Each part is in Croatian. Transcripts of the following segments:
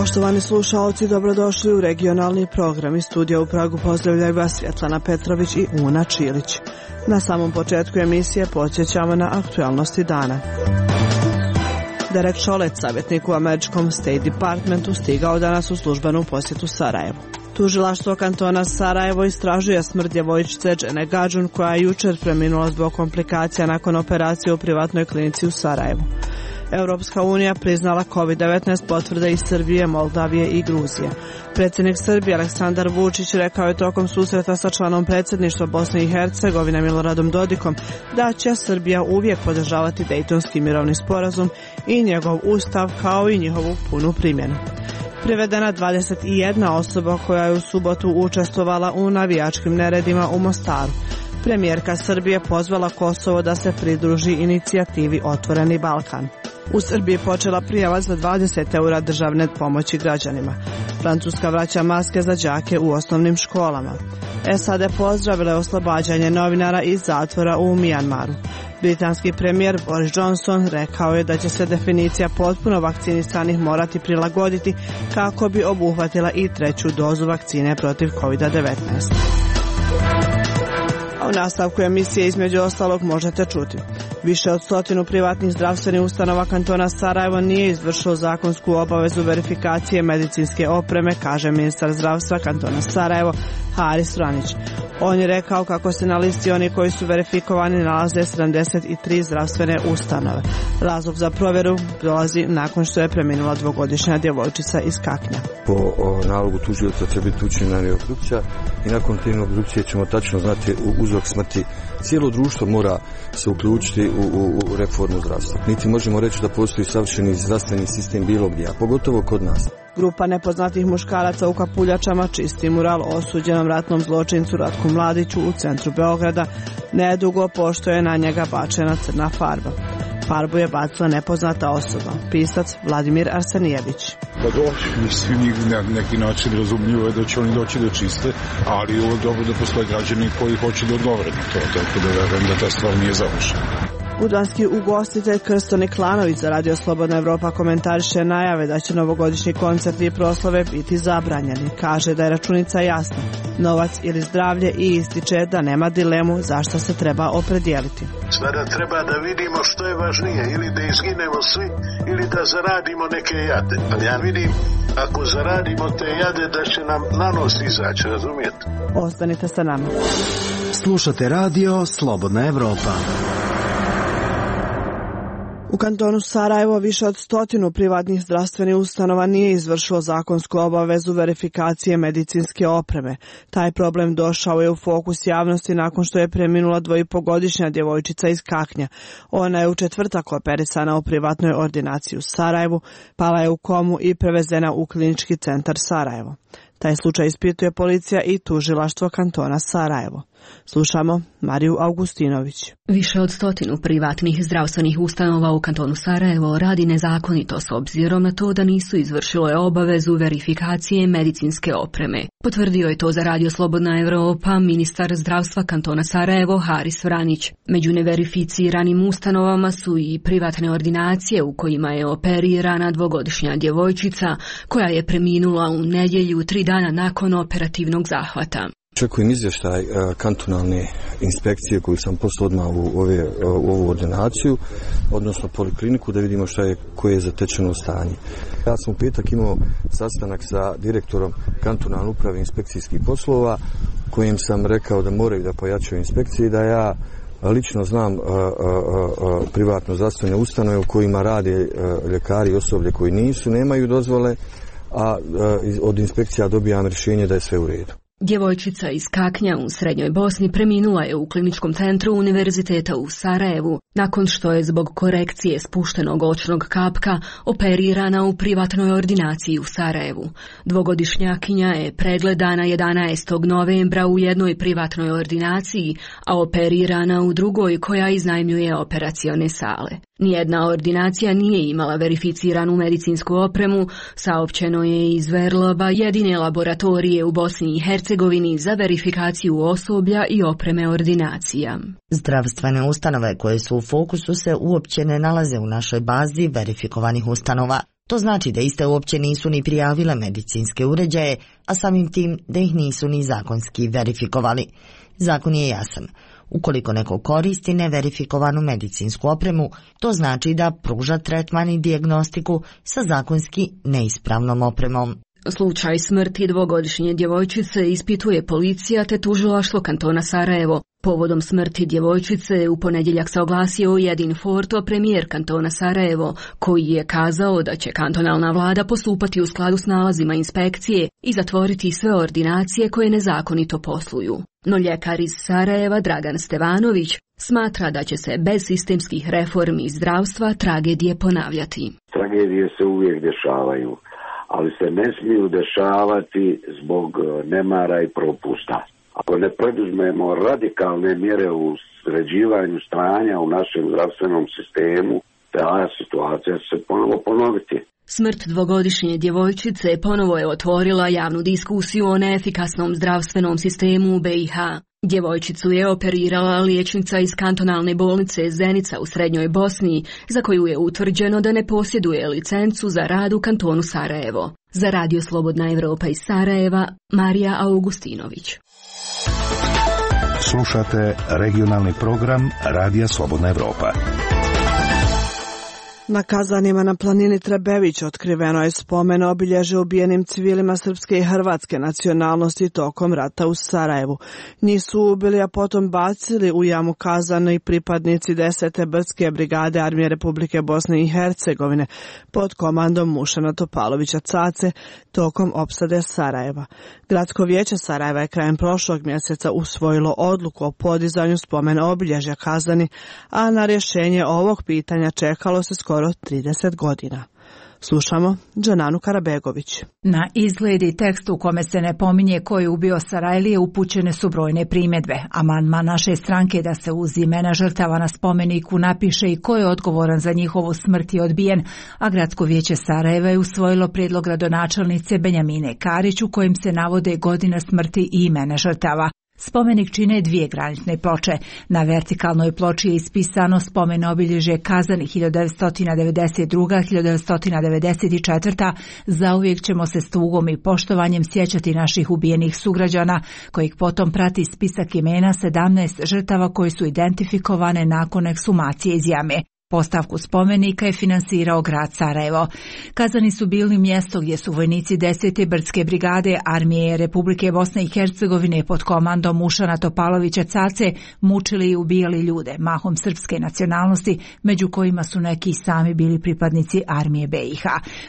Poštovani slušaoci, dobrodošli u regionalni program. Iz studija u Pragu pozdravljaju vas Svjetlana Petrović i Una Čilić. Na samom početku emisije podsjećamo na aktualnosti dana. Derek Chollet, savjetnik u američkom State Departmentu, stigao danas u službenu posjetu Sarajevu. Tužilaštvo kantona Sarajevo istražuje smrt djevojčice Džene Gadžun, koja je jučer preminula zbog komplikacija nakon operacije u privatnoj klinici u Sarajevu. Europska unija priznala COVID-19 potvrde iz Srbije, Moldavije i Gruzije. Predsjednik Srbije Aleksandar Vučić rekao je tokom susreta sa članom predsjedništva Bosne i Hercegovine Miloradom Dodikom da će Srbija uvijek podržavati Dejtonski mirovni sporazum i njegov ustav kao i njihovu punu primjenu. Privedena 21 osoba koja je u subotu učestvovala u navijačkim neredima u Mostaru. Premijerka Srbije pozvala Kosovo da se pridruži inicijativi Otvoreni Balkan. U Srbiji počela prijava za 20 eura državne pomoći građanima. Francuska vraća maske za đake u osnovnim školama. SAD pozdravile oslobađanje novinara iz zatvora u Mijanmaru. Britanski premijer Boris Johnson rekao je da će se definicija potpuno vakcinisanih morati prilagoditi kako bi obuhvatila i treću dozu vakcine protiv COVID-19. A u nastavku emisije između ostalog možete čuti. Više od 100 privatnih zdravstvenih ustanova kantona Sarajevo nije izvršilo zakonsku obavezu verifikacije medicinske opreme, kaže ministar zdravstva kantona Sarajevo Haris Vranić. On je rekao kako se na listi oni koji su verifikovani nalaze 73 zdravstvene ustanove. Razlog za provjeru dolazi nakon što je preminula dvogodišnja djevojčica iz Kaknja. Po nalogu tužioca će biti učinjena obdukcija i nakon te obdukcije ćemo tačno znati uzrok smrti. Cijelo društvo mora se uključiti u reformu zdravstva. Niti možemo reći da postoji savršeni zdravstveni sistem bilo gdje, a pogotovo kod nas. Grupa nepoznatih muškaraca u kapuljačama čisti mural osuđenom ratnom zločincu Ratku Mladiću u centru Beograda, nedugo pošto je na njega bačena crna farba. Farbu je bacila nepoznata osoba, pisac Vladimir Arsenijević. Da doći, svi njih na neki način razumljivo je da će oni doći da čiste, ali je ovo dobro da postoje građani koji hoće da odgovore na to, tako da verujem da ta stvar nije završena. Udvanski ugostitelj Krsto Niklanović za Radio Slobodna Evropa komentariše najave da će novogodišnji koncerti i proslave biti zabranjeni. Kaže da je računica jasna, novac ili zdravlje, i ističe da nema dilemu zašto se treba opredijeliti. Sada treba da vidimo što je važnije, ili da izginemo svi, ili da zaradimo neke jade. Ali ja vidim, ako zaradimo te jade, da će nam na nos izaći, razumijete? Ostanite sa nama. Slušate Radio Slobodna Evropa. U kantonu Sarajevo više od 100 privatnih zdravstvenih ustanova nije izvršilo zakonsku obavezu verifikacije medicinske opreme. Taj problem došao je u fokus javnosti nakon što je preminula 2,5-godišnja djevojčica iz Kaknja. Ona je u četvrtak operisana u privatnoj ordinaciji u Sarajevu, pala je u komu i prevezena u klinički centar Sarajevo. Taj slučaj ispituje policija i tužilaštvo kantona Sarajevo. Slušamo Mariju Augustinović. Više od 100 privatnih zdravstvenih ustanova u kantonu Sarajevo radi nezakonito s obzirom na to da nisu izvršile obavezu verifikacije medicinske opreme. Potvrdio je to za Radio Slobodna Evropa ministar zdravstva kantona Sarajevo Haris Vranić. Među neverificiranim ustanovama su i privatne ordinacije u kojima je operirana dvogodišnja djevojčica koja je preminula u nedjelju 3 dana nakon operativnog zahvata. Očekujem izvještaj kantonalne inspekcije koju sam poslao odmah u ovu ordinaciju, odnosno polikliniku, da vidimo koje je zatečeno stanje. Ja sam u petak imao sastanak sa direktorom kantonalne uprave inspekcijskih poslova, kojim sam rekao da moraju da pojačaju inspekcije i da ja lično znam privatno zdravstvene ustanove u kojima rade ljekari i osoblje koji nemaju dozvole, a od inspekcija dobijam rješenje da je sve u redu. Djevojčica iz Kaknja u Srednjoj Bosni preminula je u kliničkom centru Univerziteta u Sarajevu nakon što je zbog korekcije spuštenog očnog kapka operirana u privatnoj ordinaciji u Sarajevu. Dvogodišnjakinja je pregledana 11. novembra u jednoj privatnoj ordinaciji, a operirana u drugoj koja iznajmljuje operacione sale. Nijedna ordinacija nije imala verificiranu medicinsku opremu, saopćeno je iz Verloba, jedine laboratorije u Bosni i Hercegovini za verifikaciju osoblja i opreme ordinacija. Zdravstvene ustanove koje su u fokusu se uopće ne nalaze u našoj bazi verifikovanih ustanova. To znači da iste uopće nisu ni prijavile medicinske uređaje, a samim tim da ih nisu ni zakonski verifikovali. Zakon je jasan. Ukoliko neko koristi neverifikovanu medicinsku opremu, to znači da pruža tretman i dijagnostiku sa zakonski neispravnom opremom. Slučaj smrti dvogodišnje djevojčice ispituje policija te tužilaštvo kantona Sarajevo. Povodom smrti djevojčice u ponedjeljak se oglasio Jedin Forto, premijer kantona Sarajevo, koji je kazao da će kantonalna vlada postupati u skladu s nalazima inspekcije i zatvoriti sve ordinacije koje nezakonito posluju. No ljekar iz Sarajeva Dragan Stevanović smatra da će se bez sistemskih reformi zdravstva tragedije ponavljati. Tragedije se uvijek dešavaju, ali se ne smiju dešavati zbog nemara i propusta. Ako ne preduzmemo radikalne mjere u sređivanju stanja u našem zdravstvenom sistemu, ta situacija će se ponovo ponoviti. Smrt dvogodišnje djevojčice ponovo je otvorila javnu diskusiju o neefikasnom zdravstvenom sistemu u BiH. Djevojčicu je operirala liječnica iz kantonalne bolnice Zenica u Srednjoj Bosni, za koju je utvrđeno da ne posjeduje licencu za rad u kantonu Sarajevo. Za Radio Slobodna Evropa iz Sarajeva, Marija Augustinović. Slušate regionalni program Radija Slobodna Evropa. Na Kazanima na planini Trebević otkriveno je spomen obilježe ubijenim civilima srpske i hrvatske nacionalnosti tokom rata u Sarajevu. Njih su ubili, a potom bacili u jamu Kazana i pripadnici 10. brdske brigade Armije Republike Bosne i Hercegovine pod komandom Mušana Topalovića Cace tokom opsade Sarajeva. Gradsko vijeće Sarajeva je krajem prošlog mjeseca usvojilo odluku o podizanju spomen obilježja Kazani, a na rješenje ovog pitanja čekalo se skoro 30 godina. Slušamo Džananu Karabegović. Na izgled i tekst u kome se ne pominje ko je ubio Sarajlije upućene su brojne primjedbe. Amandman naše stranke da se uz imena žrtava na spomeniku napiše i ko je odgovoran za njihovu smrt je odbijen, a Gradsko vijeće Sarajeva je usvojilo prijedlog gradonačelnice Benjamine Karić u kojim se navode godina smrti i imena žrtava. Spomenik čine dvije granitne ploče. Na vertikalnoj ploči je ispisano spomen obilježje Kazani 1992-1994. Zauvijek ćemo se s tugom i poštovanjem sjećati naših ubijenih sugrađana, kojih potom prati spisak imena 17 žrtava koji su identifikovane nakon ekshumacije iz jame. Postavku spomenika je finansirao grad Sarajevo. Kazani su bili mjesto gdje su vojnici 10. brdske brigade Armije Republike Bosne i Hercegovine pod komandom Mušana Topalovića Cace mučili i ubijali ljude, mahom srpske nacionalnosti, među kojima su neki sami bili pripadnici Armije BiH.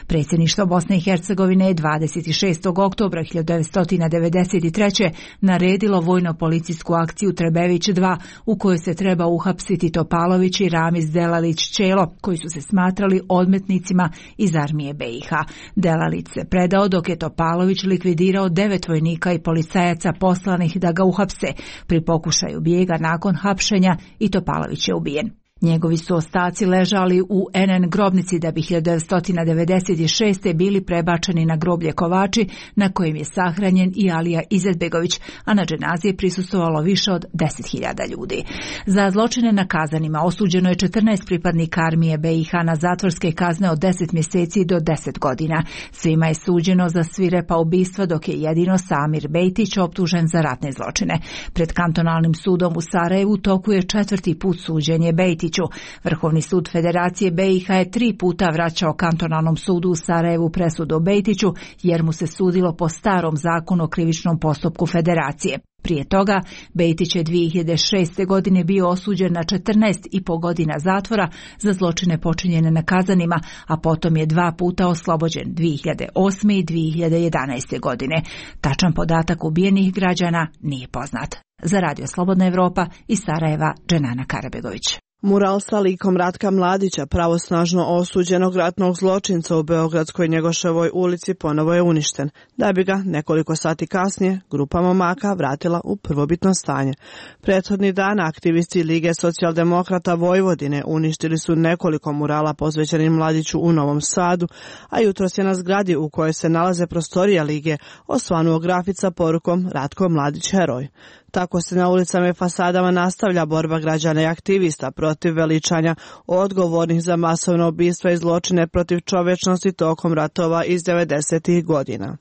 Predsjedništvo Bosne i Hercegovine je 26. oktobra 1993. naredilo vojno-policijsku akciju Trebević 2 u kojoj se treba uhapsiti Topalović i Ramiz Delalić Čelo, koji su se smatrali odmetnicima iz Armije BiH. Delalić se predao dok je Topalović likvidirao 9 vojnika i policajaca poslanih da ga uhapse. Pri pokušaju bijega nakon hapšenja i Topalović je ubijen. Njegovi su ostaci ležali u NN grobnici da bi 1996. bili prebačeni na groblje Kovači, na kojem je sahranjen i Alija Izetbegović, a na dženazi je prisustvovalo više od 10.000 ljudi. Za zločine na Kazanima osuđeno je 14 pripadnika Armije BiH na zatvorske kazne od 10 mjeseci do 10 godina. Svima je suđeno za svirepa ubistva, dok je jedino Samir Bejtić optužen za ratne zločine. Pred kantonalnim sudom u Sarajevu toku je 4. put suđenje Bejtić. Vrhovni sud Federacije BiH je 3 puta vraćao kantonalnom sudu u Sarajevu presudu o Bejtiću jer mu se sudilo po starom zakonu o krivičnom postupku Federacije. Prije toga, Bejtić je 2006. godine bio osuđen na 14,5 godina zatvora za zločine počinjene na Kazanima, a potom je 2 puta oslobođen 2008. i 2011. godine. Tačan podatak ubijenih građana nije poznat. Za Radio Slobodna Evropa iz Sarajeva, Dženana Karabegović. Mural sa likom Ratka Mladića, pravosnažno osuđenog ratnog zločinca u Beogradskoj Njegoševoj ulici, ponovo je uništen, da bi ga nekoliko sati kasnije grupa momaka vratila u prvobitno stanje. Prethodni dan aktivisti Lige socijaldemokrata Vojvodine uništili su nekoliko murala posvećenim Mladiću u Novom Sadu, a jutros je na zgradi u kojoj se nalaze prostorija Lige osvanuo grafit sa porukom Ratko Mladić heroj. Tako se na ulicama i fasadama nastavlja borba građana i aktivista protiv veličanja odgovornih za masovna ubistva i zločine protiv čovečnosti tokom ratova iz 90. godina.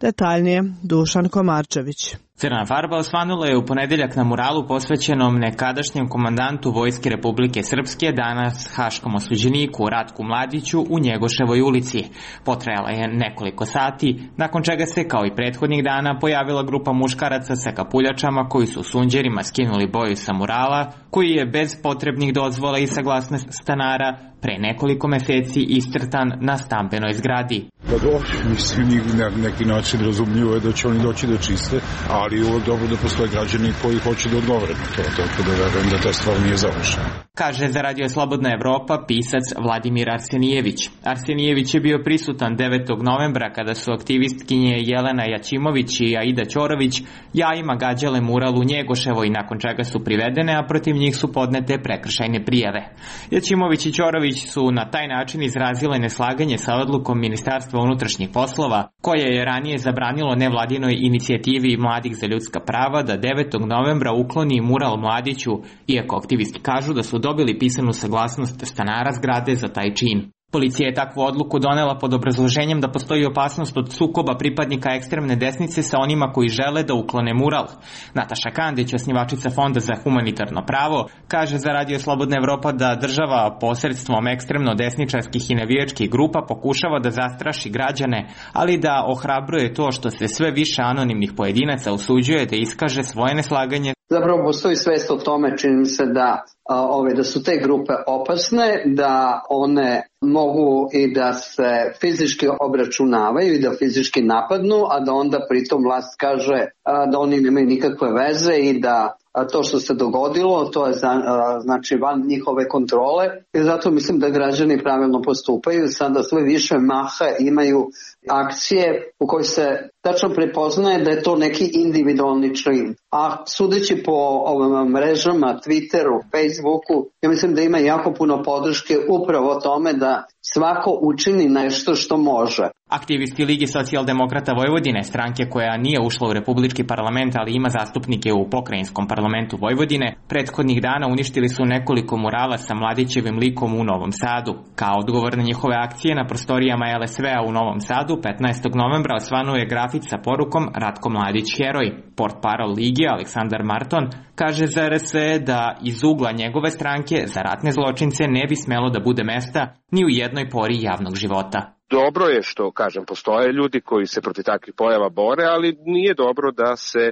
Detaljnije, Dušan Komarčević. Crna farba osvanula je u ponedeljak na muralu posvećenom nekadašnjem komandantu Vojske Republike Srpske, danas haškom osuđeniku Ratku Mladiću u Njegoševoj ulici. Potrajala je nekoliko sati, nakon čega se, kao i prethodnih dana, pojavila grupa muškaraca sa kapuljačama koji su sunđerima skinuli boju sa murala, koji je bez potrebnih dozvola i saglasnosti stanara pre nekoliko meseci iscrtan na stambenoj zgradi. Pa dobro, mislim, na neki način razumljivo je da će oni doći da čiste, ali je dobro da postoje građani koji hoće da odgovore na to, tako da verujem da ta stvar nije završena. Kaže za Radio Slobodna Evropa pisac Vladimir Arsenijević. Arsenijević je bio prisutan 9. novembra kada su aktivistkinje Jelena Jaćimović i Aida Ćorović jajima gađale mural u Njegoševoj, nakon čega su privedene, a protiv njih su podnete prekršajne prijave. Jaćimović i Ćorović su na taj način izrazile neslaganje sa odlukom Ministarstva unutrašnjih poslova, koje je ranije zabranilo nevladinoj inicijativi Mladih za ljudska prava da 9. novembra ukloni mural Mladiću, iako aktivisti kažu da su dobili pisanu saglasnost stanara zgrade za taj čin. Policija je takvu odluku donela pod obrazloženjem da postoji opasnost od sukoba pripadnika ekstremne desnice sa onima koji žele da uklone mural. Nataša Kandić, osnivačica Fonda za humanitarno pravo, kaže za Radio Slobodna Evropa da država posredstvom ekstremno desničarskih i navijačkih grupa pokušava da zastraši građane, ali da ohrabruje to što se sve više anonimnih pojedinaca usuđuje da iskaže svoje neslaganje. Zapravo postoji svest o tome, čini se da su te grupe opasne, da one mogu i da se fizički obračunavaju i da fizički napadnu, a da onda pritom vlast kaže da oni nemaju nikakve veze i da to što se dogodilo, to je znači van njihove kontrole, i zato mislim da građani pravilno postupaju. Sada sve više maha imaju akcije u kojoj se tačno prepoznaje da je to neki individualni čin. A sudeći po ovim mrežama, Twitteru, Facebooku, ja mislim da ima jako puno podrške upravo tome da svako učini nešto što može. Aktivisti Ligi socijaldemokrata Vojvodine, stranke koja nije ušla u republički parlament, ali ima zastupnike u pokrajinskom parlamentu Vojvodine, prethodnih dana uništili su nekoliko murala sa Mladićevim likom u Novom Sadu. Kao odgovor na njihove akcije na prostorijama LSV-a u Novom Sadu, 15. novembra osvanuo je grafit sa porukom Ratko Mladić heroj. Portparol Lige Aleksandar Marton kaže za RS da iz ugla njegove stranke za ratne zločince ne bi smelo da bude mesta ni u jednoj pori javnog života. Dobro je što, kažem, postoje ljudi koji se protiv takvih pojava bore, ali nije dobro da se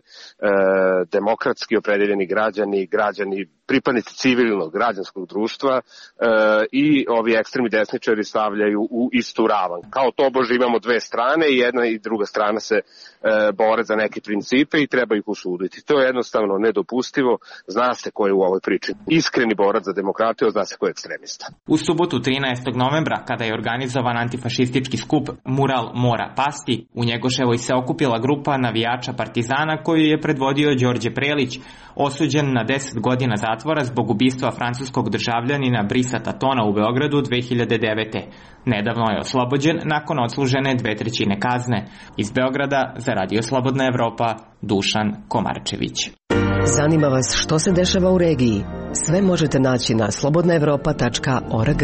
demokratski opredeljeni građani, pripadnici civilnog građanskog društva i ovi ekstremni desničari stavljaju u istu ravan. Kao tobože imamo dve strane i jedna i druga strana se bore za neke principe i treba ih osuditi. To je jednostavno nedopustivo. Zna se ko je u ovoj priči iskreni borac za demokratiju, zna se ko je ekstremista. U subotu 13. novembra, kada je organizovan antifašistički skup Mural mora pasti, u Njegoševoj se okupila grupa navijača Partizana koju je predvodio Đorđe Prelić, osuđen na 10 godina zatvora zbog ubistva francuskog državljanina Brisa Tatona u Beogradu 2009. Nedavno je oslobođen nakon odslužene 2/3 kazne. Iz Beograda za Radio Slobodna Evropa, Dušan Komarčević. Zanima vas što se dešava u regiji? Sve možete naći na slobodnaevropa.org.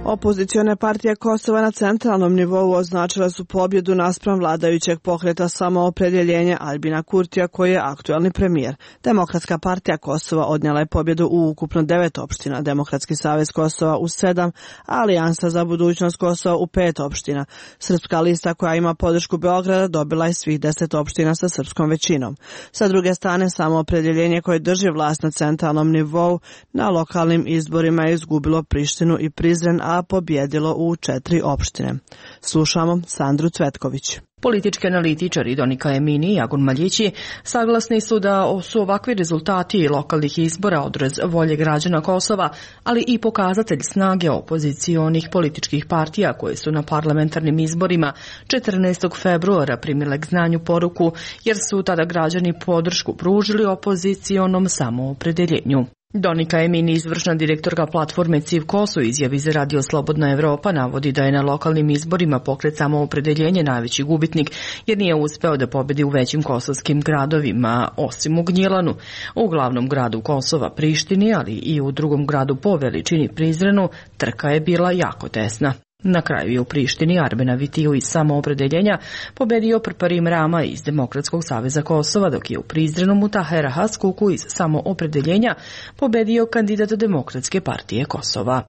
Opozicione partije Kosova na centralnom nivou označile su pobjedu naspram vladajućeg pokreta Samoopredjeljenje Albina Kurtija, koji je aktuelni premijer. Demokratska partija Kosova odnijela je pobjedu u ukupno 9 opština, Demokratski savez Kosova u 7, Alijansa za budućnost Kosova u 5 opština. Srpska lista, koja ima podršku Beograda, dobila je svih 10 opština sa srpskom većinom. Sa druge strane, Samoopredjeljenje koje drži vlast na centralnom nivou na lokalnim izborima je izgubilo Prištinu i Prizren, a pobjedilo u 4 opštine. Slušamo Sandru Cvetković. Politički analitičari Donika Emini i Agun Maljići saglasni su da su ovakvi rezultati lokalnih izbora odraz volje građana Kosova, ali i pokazatelj snage opozicionih političkih partija koje su na parlamentarnim izborima 14. februara primile k znanju poruku, jer su tada građani podršku pružili opozicionom samoopredeljenju. Donika Emini, izvršna direktorka platforme CIV KOS u izjavi za Radio Slobodna Evropa, navodi da je na lokalnim izborima Pokret Samoopredeljenje najveći gubitnik, jer nije uspeo da pobedi u većim kosovskim gradovima, osim u Gnjilanu. U glavnom gradu Kosova, Prištini, ali i u drugom gradu po veličini, Prizrenu, trka je bila jako tesna. Na kraju je u Prištini Arben Avitiju iz Samoopredeljenja pobedio Prparim Rama iz Demokratskog saveza Kosova, dok je u Prizrenu Mutahera Haskuku iz Samoopredeljenja pobedio kandidat Demokratske partije Kosova.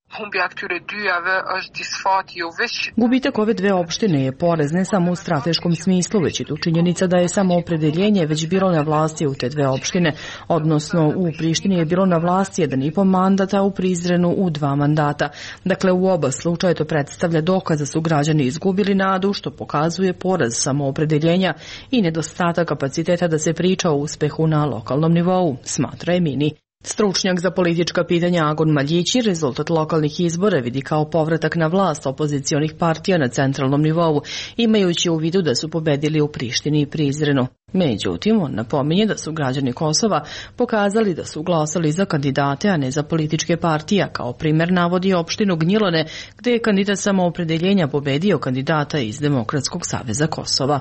Gubitak ove dve opštine je poraz ne samo u strateškom smislu, već i tu činjenica da je Samoopredeljenje već bilo na vlasti u te dve opštine, odnosno u Prištini je bilo na vlasti 1,5 mandata, u Prizrenu u 2 mandata. Dakle, u oba slučaja to predstavlja dokaz da su građani izgubili nadu, što pokazuje poraz Samoopredeljenja i nedostatak kapaciteta da se priča o uspehu na lokalnom nivou, smatra Emini. Stručnjak za politička pitanja Agon Maljići rezultat lokalnih izbora vidi kao povratak na vlast opozicionih partija na centralnom nivou, imajući u vidu da su pobedili u Prištini i Prizrenu. Međutim, on napominje da su građani Kosova pokazali da su glasali za kandidate, a ne za političke partije. Kao primer navodi opštinu Gnjilane, gde je kandidat Samoopredeljenja pobedio kandidata iz Demokratskog saveza Kosova.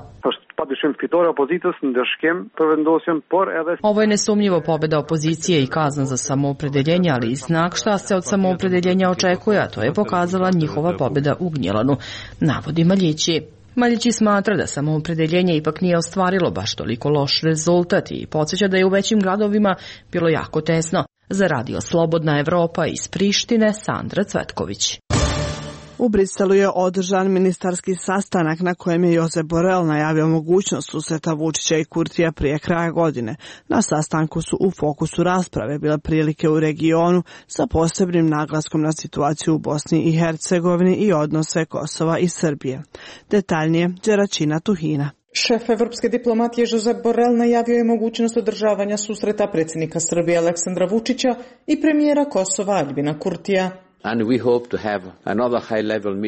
Ovo je nesumnjivo pobeda opozicije i kazna za Samoopredeljenje, ali i znak šta se od Samoopredeljenja očekuje, a to je pokazala njihova pobeda u Gnjilanu, navodi Maljići. Maljići smatra da Samoopredeljenje ipak nije ostvarilo baš toliko loš rezultat i podsjeća da je u većim gradovima bilo jako tesno. Za Radio Slobodna Evropa iz Prištine, Sandra Cvetković. U Briselu je održan ministarski sastanak na kojem je Josep Borrell najavio mogućnost susreta Vučića i Kurtija prije kraja godine. Na sastanku su u fokusu rasprave bile prilike u regionu sa posebnim naglaskom na situaciju u Bosni i Hercegovini i odnose Kosova i Srbije. Detaljnije, Đeračina Tuhina. Šef evropske diplomatije Josep Borrell najavio je mogućnost održavanja susreta predsjednika Srbije Aleksandra Vučića i premijera Kosova Aljbina Kurtija.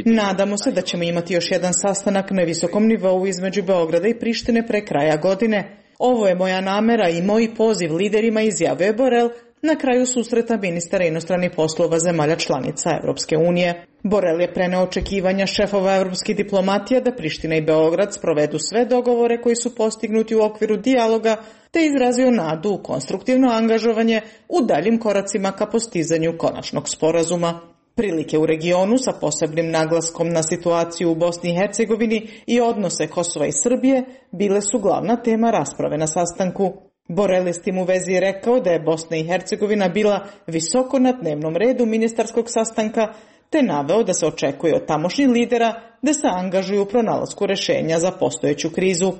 Nadamo se da ćemo imati još jedan sastanak na visokom nivou između Beograda i Prištine pre kraja godine. Ovo je moja namera i moj poziv liderima, izjavio je Borrell na kraju susreta ministara inostranih poslova zemalja članica Evropske unije. Borrell je preneo očekivanja šefova evropskih diplomatija da Priština i Beograd sprovedu sve dogovore koji su postignuti u okviru dijaloga, te izrazio nadu u konstruktivno angažovanje u daljim koracima ka postizanju konačnog sporazuma. Prilike u regionu sa posebnim naglaskom na situaciju u Bosni i Hercegovini i odnose Kosova i Srbije bile su glavna tema rasprave na sastanku. Borrell je s tim u vezi rekao da je Bosna i Hercegovina bila visoko na dnevnom redu ministarskog sastanka, te naveo da se očekuje od tamošnjih lidera da se angažuju u pronalasku rešenja za postojeću krizu.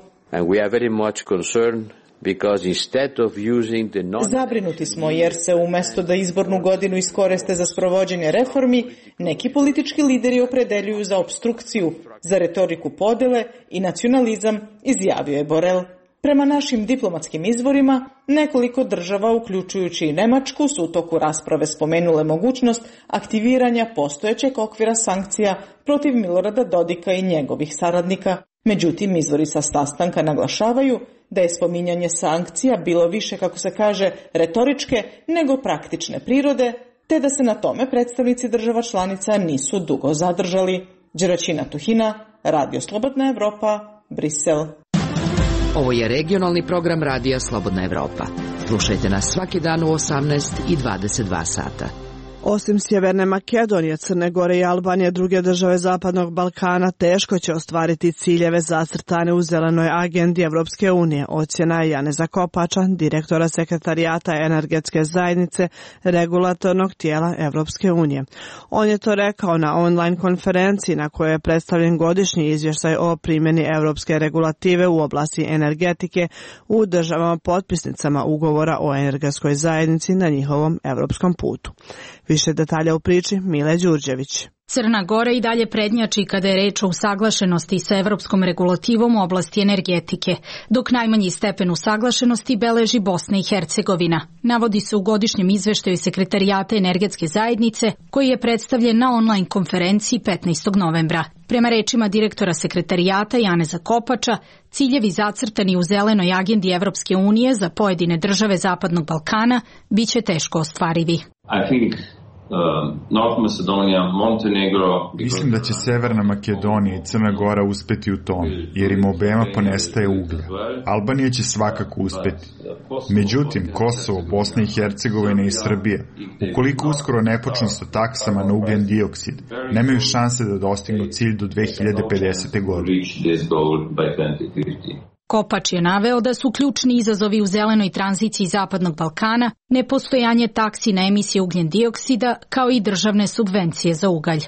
Zabrinuti smo jer se umjesto da izbornu godinu iskoriste za sprovođenje reformi, neki politički lideri opredeljuju za opstrukciju, za retoriku podele i nacionalizam, izjavio je Borrell. Prema našim diplomatskim izvorima, nekoliko država, uključujući i Nemačku, su u toku rasprave spomenule mogućnost aktiviranja postojećeg okvira sankcija protiv Milorada Dodika i njegovih saradnika. Međutim, izvori sa sastanka naglašavaju da je spominjanje sankcija bilo više, kako se kaže, retoričke nego praktične prirode, te da se na tome predstavnici država članica nisu dugo zadržali. Đeračina Tuhina, Radio Slobodna Evropa, Brisel. Ovo je regionalni program Radija Slobodna Evropa. Slušajte nas svaki dan u 18 i 22 sata. Osim Sjeverne Makedonije, Crne Gore i Albanije, druge države Zapadnog Balkana teško će ostvariti ciljeve zacrtane u zelenoj agendi Evropske unije, ocjena je Janeza Kopača, direktora sekretarijata energetske zajednice regulatornog tijela Evropske unije. On je to rekao na online konferenciji na kojoj je predstavljen godišnji izvještaj o primjeni evropske regulative u oblasti energetike u državama potpisnicama ugovora o energetskoj zajednici na njihovom evropskom putu. Više detalja u priči Mile Đurđević. Crna Gora i dalje prednjači kada je reč o usaglašenosti sa evropskom regulativom u oblasti energetike, dok najmanji stepen usaglašenosti beleži Bosna i Hercegovina. Navodi se u godišnjem izveštaju Sekretarijata energetske zajednice, koji je predstavljen na online konferenciji 15. novembra. Prema rečima direktora Sekretarijata Janeza Kopača, ciljevi zacrtani u zelenoj agendi Evropske unije za pojedine države Zapadnog Balkana biće teško ostvarivi. Mislim da će Severna Makedonija i Crna Gora uspeti u tom, jer im obema ponestaje uglja. Albanija će svakako uspeti. Međutim, Kosovo, Bosna i Hercegovina i Srbija, ukoliko uskoro ne počnu sa taksama na ugljen dioksid, nemaju šanse da dostignu cilj do 2050. godine. Kopač je naveo da su ključni izazovi u zelenoj tranziciji Zapadnog Balkana nepostojanje taksi na emisije ugljen dioksida kao i državne subvencije za ugalj.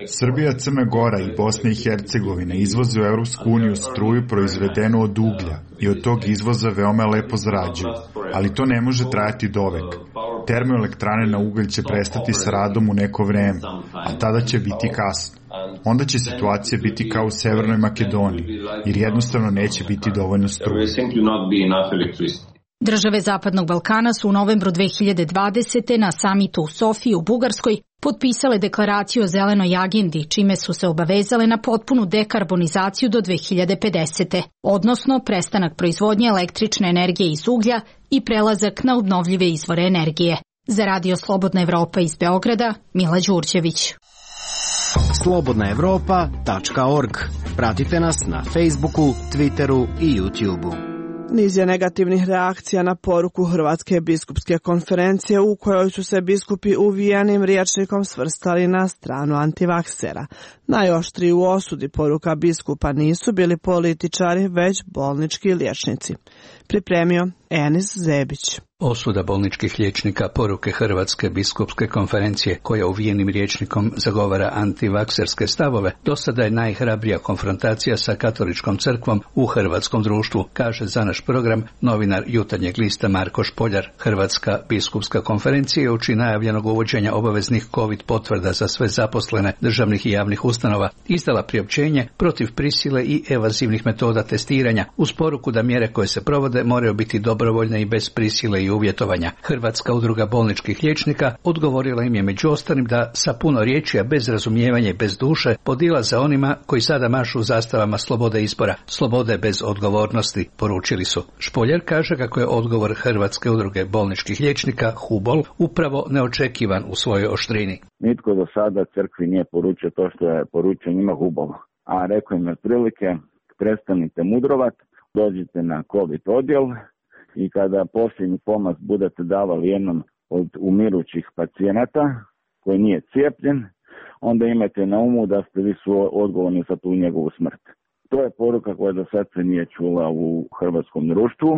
Srbija, Crna Gora i Bosna i Hercegovina izvoze u Europsku uniju struju proizvedenu od uglja i od tog izvoza veoma lepo zarađuju, ali to ne može trajati dovek. Termoelektrane na ugalj će prestati s radom u neko vreme, a tada će biti kasno. Onda će situacija biti kao u Severnoj Makedoniji, jer jednostavno neće biti dovoljno struje. Države Zapadnog Balkana su u novembru 2020. na samitu u Sofiji u Bugarskoj potpisale deklaraciju o zelenoj agendi, čime su se obavezale na potpunu dekarbonizaciju do 2050. odnosno prestanak proizvodnje električne energije iz uglja i prelazak na obnovljive izvore energije. Za Radio Slobodna Evropa iz Beograda, Mila Đurđević. slobodnaevropa.org. Pratite nas na Facebooku, Twitteru i YouTubeu. Niz je negativnih reakcija na poruku Hrvatske biskupske konferencije u kojoj su se biskupi uvijenim rječnikom svrstali na stranu antivaksera. Najoštriji u osudi poruka biskupa nisu bili političari, već bolnički liječnici. Pripremio Enis Zebić. Osuda bolničkih liječnika poruke Hrvatske biskupske konferencije, koja uvijenim rječnikom zagovara antivakserske stavove, do sada je najhrabrija konfrontacija sa katoličkom crkvom u hrvatskom društvu, kaže za naš program novinar Jutarnjeg lista Marko Špoljar. Hrvatska biskupska konferencija je uoči najavljenog uvođenja obaveznih COVID potvrda za sve zaposlene državnih i javnih ustanova izdala priopćenje protiv prisile i evazivnih metoda testiranja, uz poruku da mjere koje se provode moraju biti dobrovoljne i bez prisile i uvjetovanja. Hrvatska udruga bolničkih liječnika odgovorila im je među ostalim da sa puno riječi, a bez razumijevanja i bez duše, podilaze onima koji sada mašu zastavama slobode izbora, slobode bez odgovornosti, poručili su. Špoljar kaže kako je odgovor Hrvatske udruge bolničkih liječnika HUBOL upravo neočekivan u svojoj oštrini. Nitko do sada crkvi nije poručio to što je poručio njima HUBOL, a rekao im otprilike prestanite mudrovat, dođite na COVID odjel i kada posljednji pomaz budete davali jednom od umirućih pacijenata koji nije cijepljen, onda imajte na umu da ste vi su odgovorni za tu njegovu smrt. To je poruka koja do sad se nije čula u hrvatskom društvu.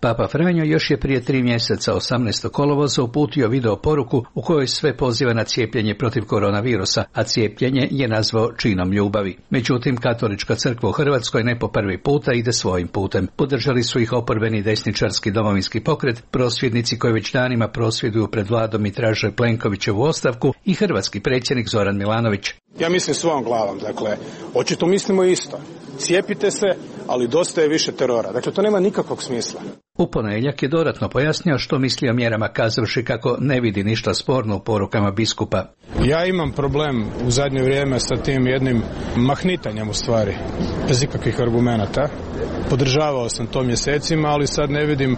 Papa Franjo još je prije 3 mjeseca 18. kolovoza uputio video poruku u kojoj sve poziva na cijepljenje protiv koronavirusa, a cijepljenje je nazvao činom ljubavi. Međutim, katolička crkva u Hrvatskoj ne po prvi puta ide svojim putem. Podržali su ih oporbeni desničarski domovinski pokret, prosvjednici koji već danima prosvjeduju pred vladom i traže Plenkovićevu ostavku i hrvatski predsjednik Zoran Milanović. Ja mislim svojom glavom, dakle, očito mislimo isto. Cijepite se, ali dosta je više terora. Dakle, to nema nikakvog smisla. U ponedjeljak je dodatno pojasnio što misli o mjerama, kazavši kako ne vidi ništa sporno u porukama biskupa. Ja imam problem u zadnje vrijeme sa tim jednim mahnitanjem u stvari, bez ikakvih argumenata. Podržavao sam to mjesecima, ali sad ne vidim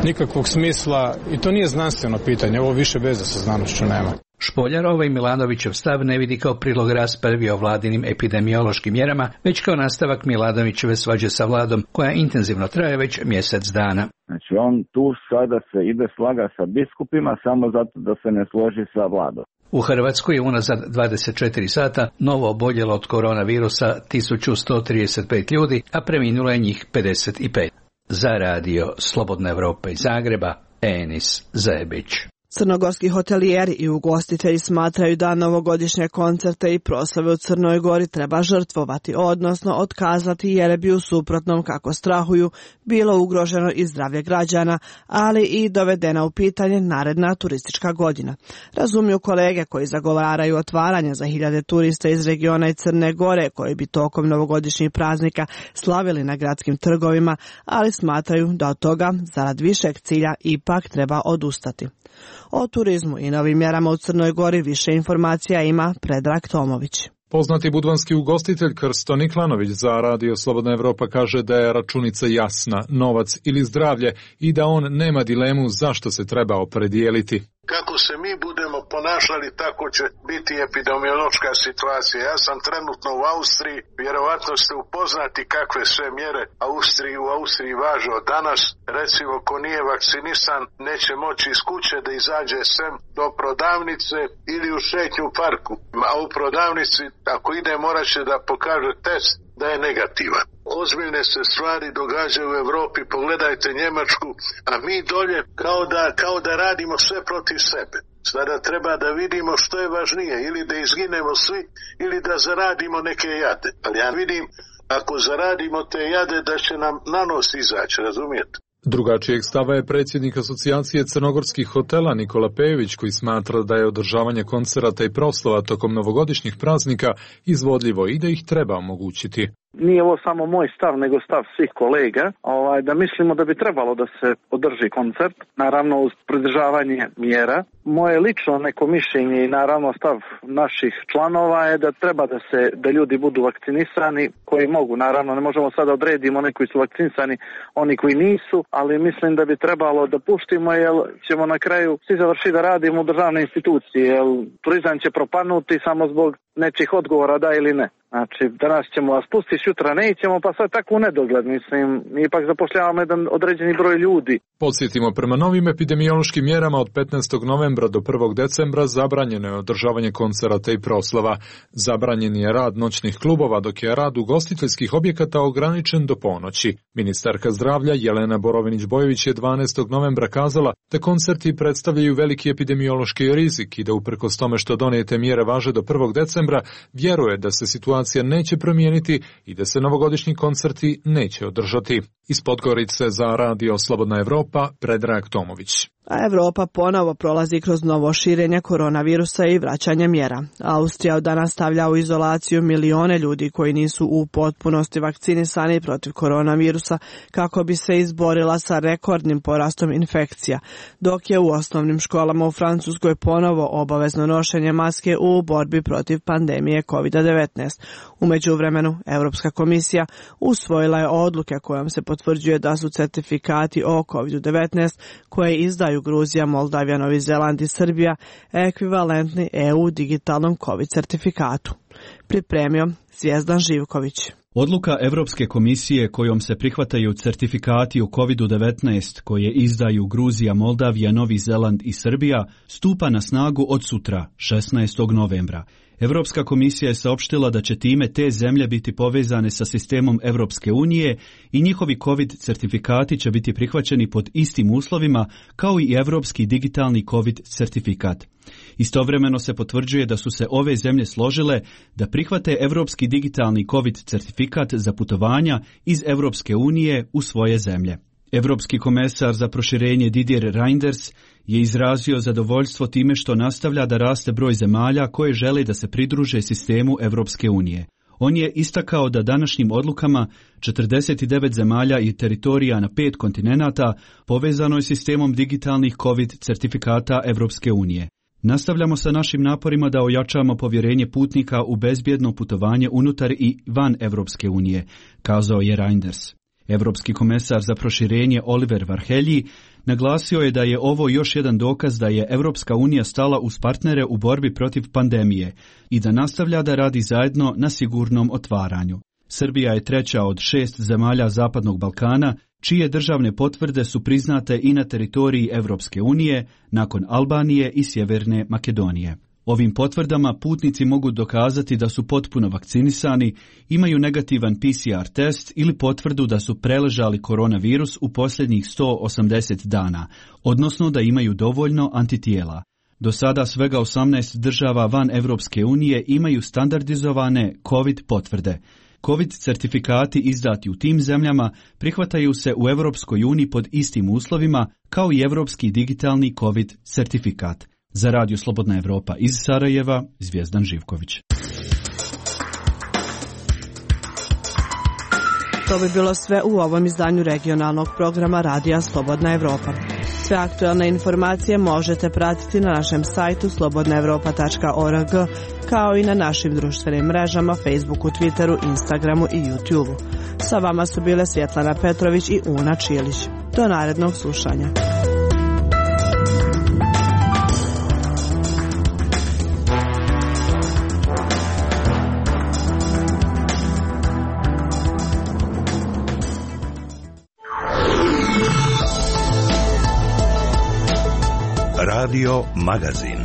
nikakvog smisla i to nije znanstveno pitanje, ovo više veze sa znanošću nema. Špoljar ovaj Milanovićev stav ne vidi kao prilog raspravi o vladinim epidemiološkim mjerama, već kao nastavak Milanovićeve svađe sa vladom, koja intenzivno traje već mjesec dana. Znači on tu sada se ide slaga sa biskupima samo zato da se ne složi sa vladom. U Hrvatskoj je unazad 24 sata novo oboljelo od koronavirusa 1135 ljudi, a preminulo je njih 55. Za radio Slobodna Evropa iz Zagreba, Enis Zebić. Crnogorski hotelijeri i ugostitelji smatraju da novogodišnje koncerte i proslave u Crnoj Gori treba žrtvovati, odnosno otkazati jer bi u suprotnom, kako strahuju, bilo ugroženo i zdravlje građana, ali i dovedena u pitanje naredna turistička godina. Razumiju kolege koji zagovaraju otvaranje za hiljade turista iz regiona i Crne Gore koji bi tokom novogodišnjih praznika slavili na gradskim trgovima, ali smatraju da od toga, zarad višeg cilja, ipak treba odustati. O turizmu i novim mjerama u Crnoj Gori više informacija ima Predrag Tomović. Poznati budvanski ugostitelj Krsto Niklanović za Radio Slobodna Evropa kaže da je računica jasna, novac ili zdravlje, i da on nema dilemu zašto se treba opredijeliti. Kako se mi budemo ponašali, tako će biti epidemiološka situacija. Ja sam trenutno u Austriji, vjerovatno ste upoznati kakve sve mjere u Austriji važe od danas. Recimo, ko nije vakcinisan, neće moći iz kuće da izađe sem do prodavnice ili u šetnju u parku. A u prodavnici, ako ide, morat će da pokaže test da je negativan. Ozbiljne se stvari događaju u Evropi, pogledajte Njemačku, a mi dolje kao da radimo sve protiv sebe. Sada treba da vidimo što je važnije, ili da izginemo svi, ili da zaradimo neke jade. Ali ja vidim, ako zaradimo te jade, da će nam na nos izaći, razumijete? Drugačijeg stava je predsjednik Asocijacije crnogorskih hotela Nikola Pejović, koji smatra da je održavanje koncerata i proslava tokom novogodišnjih praznika izvodljivo i da ih treba omogućiti. Nije ovo samo moj stav, nego stav svih kolega, da mislimo da bi trebalo da se održi koncert, naravno uz pridržavanje mjera. Moje lično neko mišljenje i naravno stav naših članova je da treba da ljudi budu vakcinisani koji mogu. Naravno, ne možemo sada odredimo oni koji su vakcinisani, oni koji nisu, ali mislim da bi trebalo da puštimo, jer ćemo na kraju svi završiti da radimo u državne institucije, jer turizam će propanuti samo zbog nečih odgovora da ili ne. Znači, danas ćemo vas pustiti, sutra nećemo, pa sad tako u nedogled, mislim, mi ipak zapošljavamo jedan određeni broj ljudi. Podsjetimo, prema novim epidemiološkim mjerama od 15. novembra do 1. decembra zabranjeno je održavanje koncerata i proslava. Zabranjen je rad noćnih klubova, dok je rad ugostiteljskih objekata ograničen do ponoći. Ministarka zdravlja Jelena Borovinić-Bojović je 12. novembra kazala da koncerti predstavljaju veliki epidemiološki rizik i da uprkos tome što donijete mjere važe do 1. decembra, vjeruje da se situacija neće promijeniti i da se novogodišnji koncerti neće održati. Iz Podgorice za Radio Slobodna Evropa, Predrag Tomović. A Evropa ponovo prolazi kroz novo širenje koronavirusa i vraćanje mjera. Austrija od danas stavlja u izolaciju milione ljudi koji nisu u potpunosti vakcinisani protiv koronavirusa kako bi se izborila sa rekordnim porastom infekcija, dok je u osnovnim školama u Francuskoj ponovo obavezno nošenje maske u borbi protiv pandemije COVID-19. U međuvremenu, Europska komisija usvojila je odluke kojom se potvrđuje da su certifikati o COVID-19 koje izdaju Gruzija, Moldavija, Novi Zeland i Srbija ekvivalentni EU digitalnom COVID certifikatu. Pripremio Zvijezdan Živković. Odluka Europske komisije kojom se prihvataju certifikati o COVID-19 koje izdaju Gruzija, Moldavija, Novi Zeland i Srbija stupa na snagu od sutra, 16. novembra. Europska komisija je saopštila da će time te zemlje biti povezane sa sistemom Europske unije i njihovi COVID certifikati će biti prihvaćeni pod istim uslovima kao i europski digitalni COVID certifikat. Istovremeno se potvrđuje da su se ove zemlje složile da prihvate europski digitalni COVID certifikat za putovanja iz Europske unije u svoje zemlje. Europski komesar za proširenje Didier Reynders je izrazio zadovoljstvo time što nastavlja da raste broj zemalja koje žele da se pridruže sistemu Europske unije. On je istakao da današnjim odlukama 49 zemalja i teritorija na 5 kontinenata povezano je sistemom digitalnih COVID certifikata Europske unije. Nastavljamo sa našim naporima da ojačamo povjerenje putnika u bezbjedno putovanje unutar i van Europske unije, kazao je Reynders. Europski komesar za proširenje Oliver Varhelyi naglasio je da je ovo još jedan dokaz da je Europska unija stala uz partnere u borbi protiv pandemije i da nastavlja da radi zajedno na sigurnom otvaranju. Srbija je treća od 6 zemalja Zapadnog Balkana, čije državne potvrde su priznate i na teritoriji Europske unije nakon Albanije i Sjeverne Makedonije. Ovim potvrdama putnici mogu dokazati da su potpuno vakcinisani, imaju negativan PCR test ili potvrdu da su preležali koronavirus u posljednjih 180 dana, odnosno da imaju dovoljno antitijela. Do sada svega 18 država van Evropske unije imaju standardizovane COVID potvrde. COVID certifikati izdati u tim zemljama prihvataju se u Evropskoj uniji pod istim uslovima kao i Evropski digitalni COVID certifikat. Za Radio Slobodna Evropa iz Sarajeva, Zvijezdan Živković. To bi bilo sve u ovom izdanju regionalnog programa Radija Slobodna Evropa. Sve aktualne informacije možete pratiti na našem sajtu slobodnaevropa.org, kao i na našim društvenim mrežama Facebooku, Twitteru, Instagramu i YouTubeu. Sa vama su bile Svjetlana Petrović i Una Čilić. Do narednog slušanja. Radio Magazin.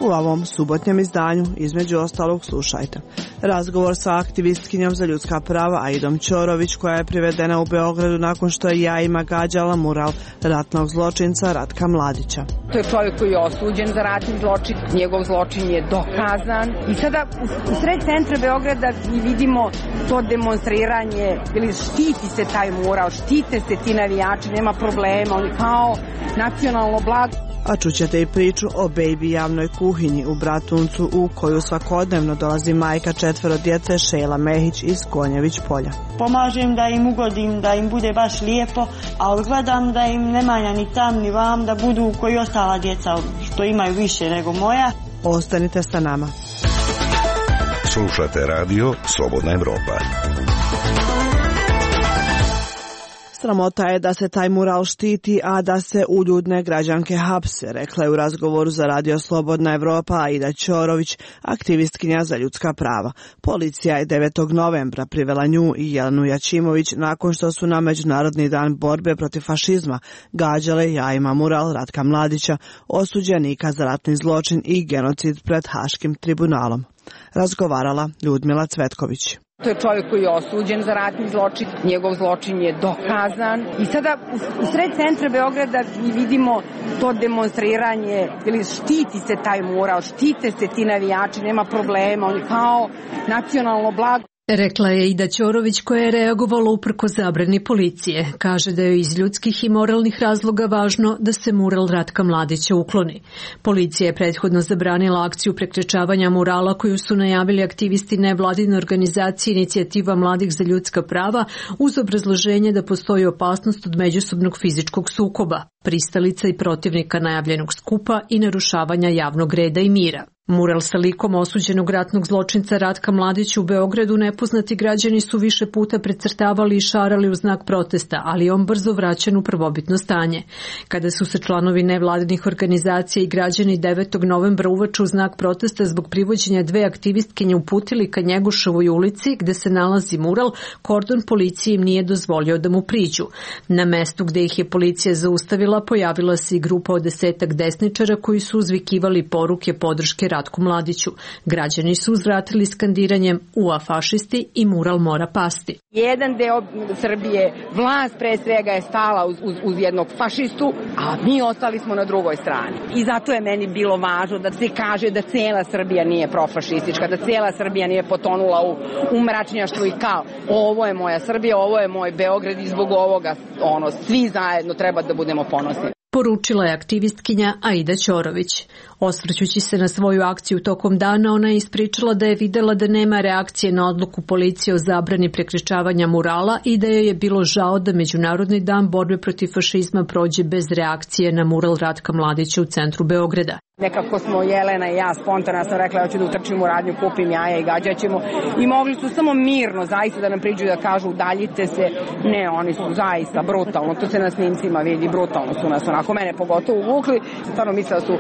U ovom subotnjem izdanju, između ostalog, slušajte razgovor sa aktivistkinjom za ljudska prava Aidom Ćorović, koja je privedena u Beogradu nakon što je jajima gađala mural ratnog zločinca Ratka Mladića. To je čovjek koji je osuđen za ratni zločin, njegov zločin je dokazan i sada u sred centra Beograda vidimo to demonstriranje, ili štiti se taj mural, štite se ti navijači, nema problema, oni kao nacionalno blago. A čućete i priču o Baby javnoj kuhinji u Bratuncu, u koju svakodnevno dolazi majka 4 djece Šejla Mehić iz Konjević polja. Pomažem da im ugodim, da im bude baš lijepo, a gledam da im ne manja ni tam ni vam, da budu koji ostala djeca što imaju više nego moja. Ostanite sa nama. Slušate radio Slobodna Evropa. Sramota je da se taj mural štiti, a da se uljudne građanke hapse, rekla je u razgovoru za Radio Slobodna Evropa Aida Ćorović, aktivistkinja za ljudska prava. Policija je 9. novembra privela nju i Jelenu Jačimović nakon što su na Međunarodni dan borbe protiv fašizma gađale jajima mural Ratka Mladića, osuđenika za ratni zločin i genocid pred Haškim tribunalom. Razgovarala Ljudmila Cvetković. To je čovjek koji je osuđen za ratni zločin, njegov zločin je dokazan i sada u sred centra Beograda vidimo to demonstriranje, ili štiti se taj mural, štite se ti navijači, nema problema, oni kao nacionalno blago. Rekla je Aida Ćorović, koja je reagovala uprko zabrani policije. Kaže da je iz ljudskih i moralnih razloga važno da se mural Ratka Mladića ukloni. Policija je prethodno zabranila akciju prekrečavanja murala koju su najavili aktivisti nevladine organizacije Inicijativa mladih za ljudska prava uz obrazloženje da postoji opasnost od međusobnog fizičkog sukoba, pristalica i protivnika najavljenog skupa i narušavanja javnog reda i mira. Mural sa likom osuđenog ratnog zločinca Ratka Mladića u Beogradu nepoznati građani su više puta precrtavali i šarali u znak protesta, ali on brzo vraćen u prvobitno stanje. Kada su se članovi nevladinih organizacija i građani 9. novembra uveče u znak protesta zbog privođenja 2 aktivistkinje uputili ka Njegoševoj ulici gde se nalazi mural, kordon policije im nije dozvolio da mu priđu. Na mestu gde ih je policija zaustavila pojavila se i grupa od 10 desničara koji su uzvikivali poruke podrške Ratku Mladiću. Građani su uzvratili skandiranjem "Ua fašisti" i mural mora pasti. Jedan deo Srbije, vlast pre svega je stala uz jednog fašistu, a mi ostali smo na drugoj strani. I zato je meni bilo važno da se kaže da cela Srbija nije profašistička, da cela Srbija nije potonula u mračnjaštvu i kao ovo je moja Srbija, ovo je moj Beograd i zbog ovoga svi zajedno treba da budemo ponosni. Poručila je aktivistkinja Aida Ćorović. Osvrćući se na svoju akciju tokom dana, ona je ispričala da je videla da nema reakcije na odluku policije o zabrani prekrečavanja murala i da joj je bilo žao da Međunarodni dan borbe protiv fašizma prođe bez reakcije na mural Ratka Mladića u centru Beograda. Nekako smo Jelena i ja spontano sam rekla ja ću da utrčim u radnju, kupim jaja i gađaćemo i mogli su samo mirno zaista da nam priđu da kažu udaljite se. Ne, oni su zaista brutalno, to se na snimcima vidi, brutalno su nas onako mene pogotovo uvukli. Stvarno mislila su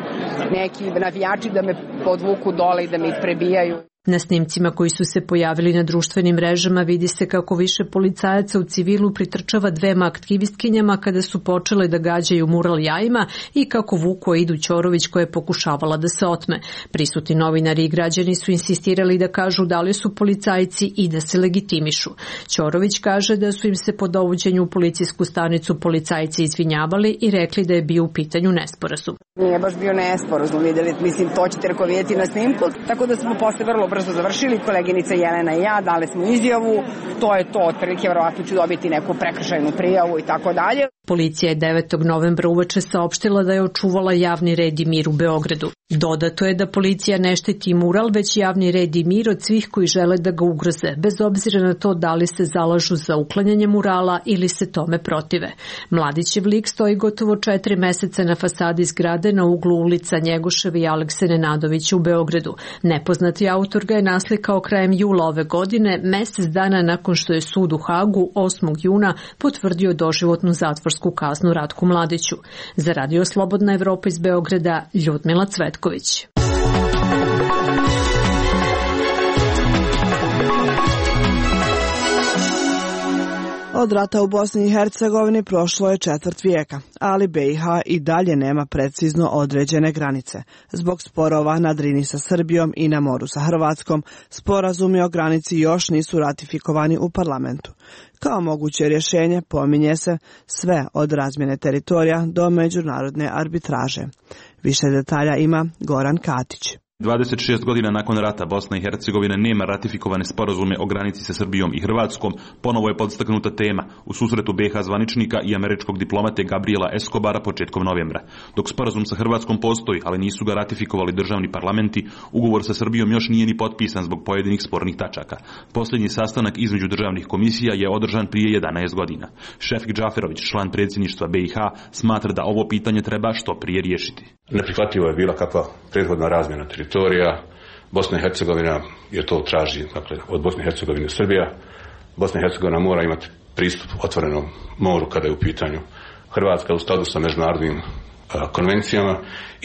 neki navijači da me podvuku dole i da me isprebijaju. Na snimcima koji su se pojavili na društvenim mrežama vidi se kako više policajaca u civilu pritrčava dvema aktivistkinjama kada su počele da gađaju mural jajima i kako vuku Aidu Ćorović koja je pokušavala da se otme. Prisutni novinari i građani su insistirali da kažu da li su policajci i da se legitimišu. Ćorović kaže da su im se po dovođenju u policijsku stanicu policajci izvinjavali i rekli da je bio u pitanju nesporazum. Nije baš bio nesporazum, vidjeli, mislim, to ćete vidjeti na snimku, tako da smo posle vrlo brzo završili, koleginica Jelena i ja, dali smo izjavu, to je to, otprilike, verovatno ću dobiti neku prekršajnu prijavu i tako dalje. Policija je 9. novembra uveče saopštila da je očuvala javni red i mir u Beogradu. Dodato je da policija ne štiti mural, već javni red i mir od svih koji žele da ga ugroze, bez obzira na to da li se zalažu za uklanjanje murala ili se tome protive. Mladićev lik stoji gotovo 4 meseca na fasadi zgrade na uglu ulica Njegošev i Alekse Nenadovića u Beogradu. Nepoznati autor ga je naslikao krajem jula ove godine, mesec dana nakon što je sud u Hagu 8. juna potvrdio doživotnu zatvorsku kaznu Ratku Mladiću. Za Radio Slobodna Evropa iz Beograda, Ljudmila Cvetković. Od rata u Bosni i Hercegovini prošlo je 1/4 vijeka, ali BiH i dalje nema precizno određene granice. Zbog sporova na Drini sa Srbijom i na moru sa Hrvatskom, sporazumi o granici još nisu ratifikovani u parlamentu. Kao moguće rješenje pominje se sve od razmjene teritorija do međunarodne arbitraže. Više detalja ima Goran Katić. 26 godina nakon rata Bosna i Hercegovina nema ratifikovane sporazume o granici sa Srbijom i Hrvatskom, ponovo je podstaknuta tema u susretu BiH zvaničnika i američkog diplomate Gabriela Escobara početkom novembra. Dok sporazum sa Hrvatskom postoji, ali nisu ga ratifikovali državni parlamenti, ugovor sa Srbijom još nije ni potpisan zbog pojedinih spornih tačaka. Posljednji sastanak između državnih komisija je održan prije 11 godina. Šefik Džaferović, član predsjedništva BiH, smatra da ovo pitanje treba što prije riješiti. Neprihvatljivo je bila kakva prethodna razmjena teritorija. Bosna i Hercegovina je to traži, dakle, od Bosne i Hercegovine Srbija. Bosna i Hercegovina mora imati pristup otvorenom moru kada je u pitanju Hrvatska u skladu sa međunarodnim konvencijama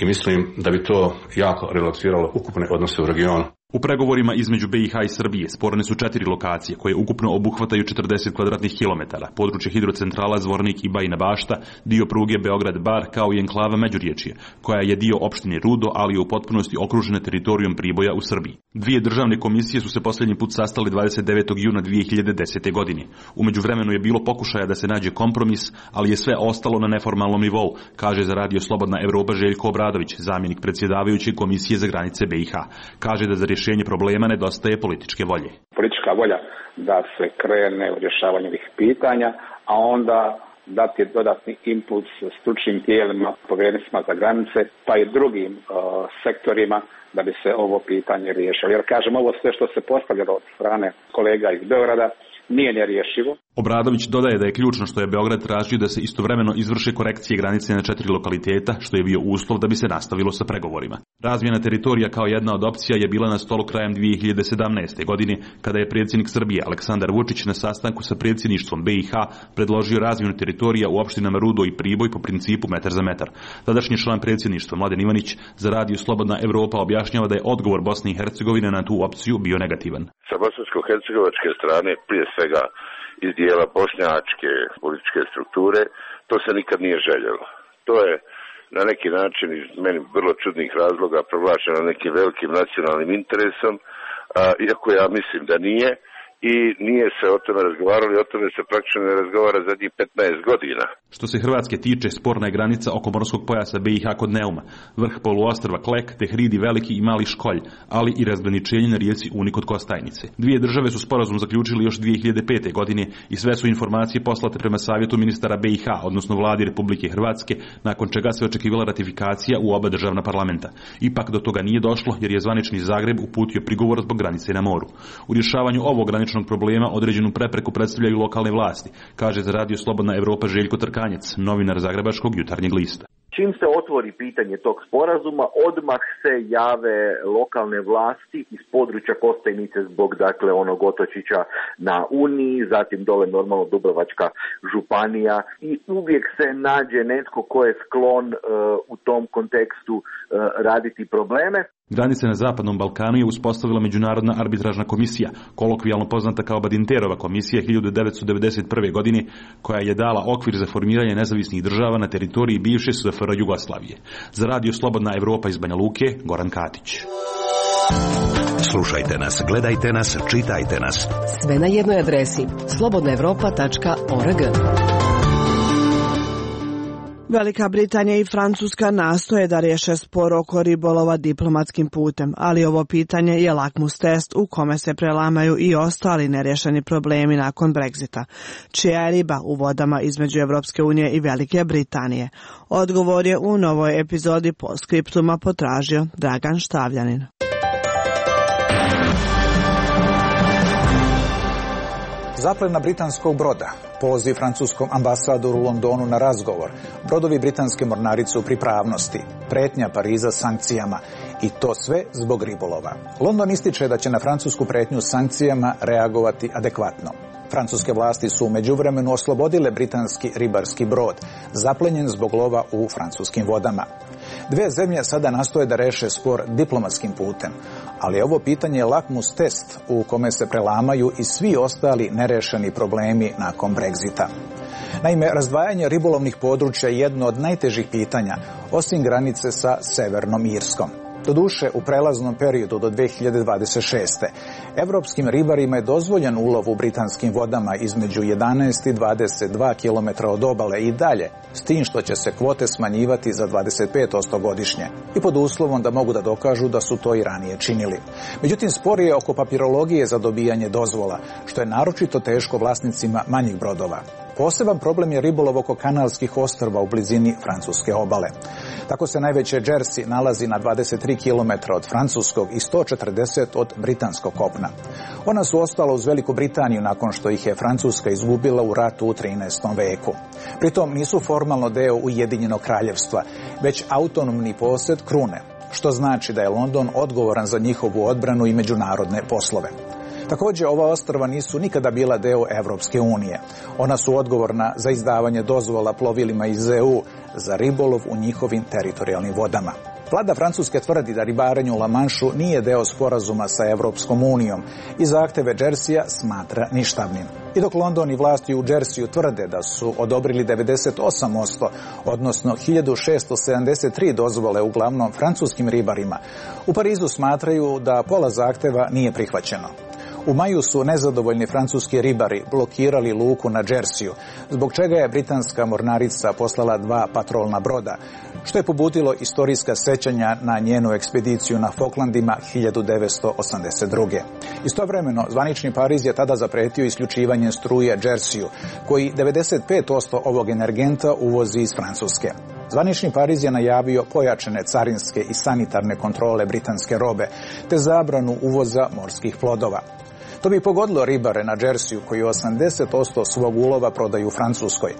i mislim da bi to jako relaksiralo ukupne odnose u regionu. U pregovorima između BiH i Srbije sporne su 4 lokacije koje ukupno obuhvataju 40 kvadratnih kilometara, područje hidrocentrala Zvornik i Bajina Bašta, dio pruge Beograd-Bar kao i enklava Međuriječje, koja je dio opštine Rudo, ali je u potpunosti okružena teritorijom Priboja u Srbiji. Dvije državne komisije su se posljednji put sastali 29. juna 2010. godine. U međuvremenu je bilo pokušaja da se nađe kompromis, ali je sve ostalo na neformalnom nivou, kaže za Radio Slobodna Evropa Željko Obradović, zamjenik predsjedavajuće komisije za granice BiH. Kaže da za rješenje problema nedostaje političke volje. Politička volja da se krene u rješavanje ovih pitanja, a onda dati dodatni impuls stručnim tijelima, povjerenicima za granice, pa i drugim sektorima da bi se ovo pitanje riješilo. Jer kažem, ovo sve što se postavljalo od strane kolega iz Beograda nije nerješivo. Obradović dodaje da je ključno što je Beograd tražio da se istovremeno izvrše korekcije granice na 4 lokaliteta, što je bio uslov da bi se nastavilo sa pregovorima. Razmjena teritorija kao jedna od opcija je bila na stolu krajem 2017. godine, kada je predsjednik Srbije Aleksandar Vučić na sastanku sa predsjedništvom BiH predložio razmjenu teritorija u opštinama Rudo i Priboj po principu metar za metar. Tadašnji član predsjedništva Mladen Ivanić za Radio Slobodna Evropa objašnjava da je odgovor Bosne i Hercegovine na tu opciju bio negativan. Sa bosansko-hercegovačke strane, prije svega iz dijela bošnjačke političke strukture, to se nikad nije željelo. To je na neki način iz meni vrlo čudnih razloga proglašeno nekim velikim nacionalnim interesom, iako ja mislim da nije. I nije se o tome razgovaralo i o tome se praktično ne razgovara zadnjih 15 godina. Što se Hrvatske tiče, sporna je granica oko morskog pojasa BiH kod Neuma, vrh poluostrva Klek, te hridi Veliki i Mali Školj, ali i razgraničenje na rijeci Uni kod Kostajnice. Dvije države su sporazum zaključili još 2005. godine i sve su informacije poslate prema savjetu ministara BiH, odnosno vladi Republike Hrvatske, nakon čega se očekivala ratifikacija u oba državna parlamenta. Ipak do toga nije došlo jer je zvanični Zagreb uputio prigovor zbog granice na moru. U rješavanju ovog graničnog problema određenu prepreku predstavljaju lokalne vlasti, kaže za Radio Slobodna Evropa Željko Trkanjec, novinar Zagrebačkog Jutarnjeg lista. Čim se otvori pitanje tog sporazuma, odmah se jave lokalne vlasti iz područja Kostajnice zbog onog otočića na Uniji, zatim dole normalno Dubrovačka županija i uvijek se nađe netko ko je sklon u tom kontekstu raditi probleme. Granice na Zapadnom Balkanu je uspostavila Međunarodna arbitražna komisija, kolokvijalno poznata kao Badinterova komisija 1991. godine, koja je dala okvir za formiranje nezavisnih država na teritoriji bivše SFRJ Jugoslavije. Za Radio Slobodna Evropa iz Banja Luke, Goran Katić. Slušajte nas, gledajte nas, čitajte nas. Sve na jednoj adresi slobodnaevropa.org. Velika Britanija i Francuska nastoje da riješe spor oko ribolova diplomatskim putem, ali ovo pitanje je lakmus test u kome se prelamaju i ostali nerješeni problemi nakon Brexita. Čija je riba u vodama između Evropske unije i Velike Britanije? Odgovor je u novoj epizodi Postscriptuma potražio Dragan Štavljanin. Zaplena britanskog broda, poziv francuskom ambasadoru u Londonu na razgovor, brodovi britanske mornarice u pripravnosti, pretnja Pariza sankcijama i to sve zbog ribolova. London ističe da će na francusku pretnju sankcijama reagovati adekvatno. Francuske vlasti su u međuvremenu oslobodile britanski ribarski brod, zaplenjen zbog lova u francuskim vodama. Dve zemlje sada nastoje da reše spor diplomatskim putem, ali ovo pitanje je lakmus test u kome se prelamaju i svi ostali nerešeni problemi nakon Brexita. Naime, razdvajanje ribolovnih područja je jedno od najtežih pitanja, osim granice sa Severnom Irskom. Doduše, u prelaznom periodu do 2026. Evropskim ribarima je dozvoljen ulov u britanskim vodama između 11 i 22 km od obale i dalje, s tim što će se kvote smanjivati za 25% godišnje i pod uslovom da mogu da dokažu da su to i ranije činili. Međutim, spor je oko papirologije za dobijanje dozvola, što je naročito teško vlasnicima manjih brodova. Poseban problem je ribolov oko kanalskih ostrva u blizini francuske obale. Tako se najveće Jersey nalazi na 23 km od francuskog i 140 od britanskog kopna. Ona su ostala uz Veliku Britaniju nakon što ih je Francuska izgubila u ratu u 13. veku. Pritom nisu formalno deo Ujedinjenog kraljevstva, već autonomni posjed krune, što znači da je London odgovoran za njihovu odbranu i međunarodne poslove. Također, ova ostrva nisu nikada bila deo Evropske unije. Ona su odgovorna za izdavanje dozvola plovilima iz EU za ribolov u njihovim teritorijalnim vodama. Vlada Francuske tvrdi da ribarenje u La Manšu nije deo sporazuma sa Evropskom unijom i zahteve Jerseya smatra ništavnim. I dok London i vlasti u Jerseyu tvrde da su odobrili 98%, odnosno 1673 dozvole uglavnom francuskim ribarima, u Parizu smatraju da pola zahteva nije prihvaćeno. U maju su nezadovoljni francuski ribari blokirali luku na Jerseyu, zbog čega je britanska mornarica poslala 2 patrolna broda, što je pobudilo istorijska sećanja na njenu ekspediciju na Falklandima 1982. Istovremeno, zvanični Pariz je tada zapretio isključivanje struje Jerseyu, koji 95% ovog energenta uvozi iz Francuske. Zvanični Pariz je najavio pojačane carinske i sanitarne kontrole britanske robe, te zabranu uvoza morskih plodova. To bi pogodilo ribare na Jerseyu koji 80% svog ulova prodaju u Francuskoj,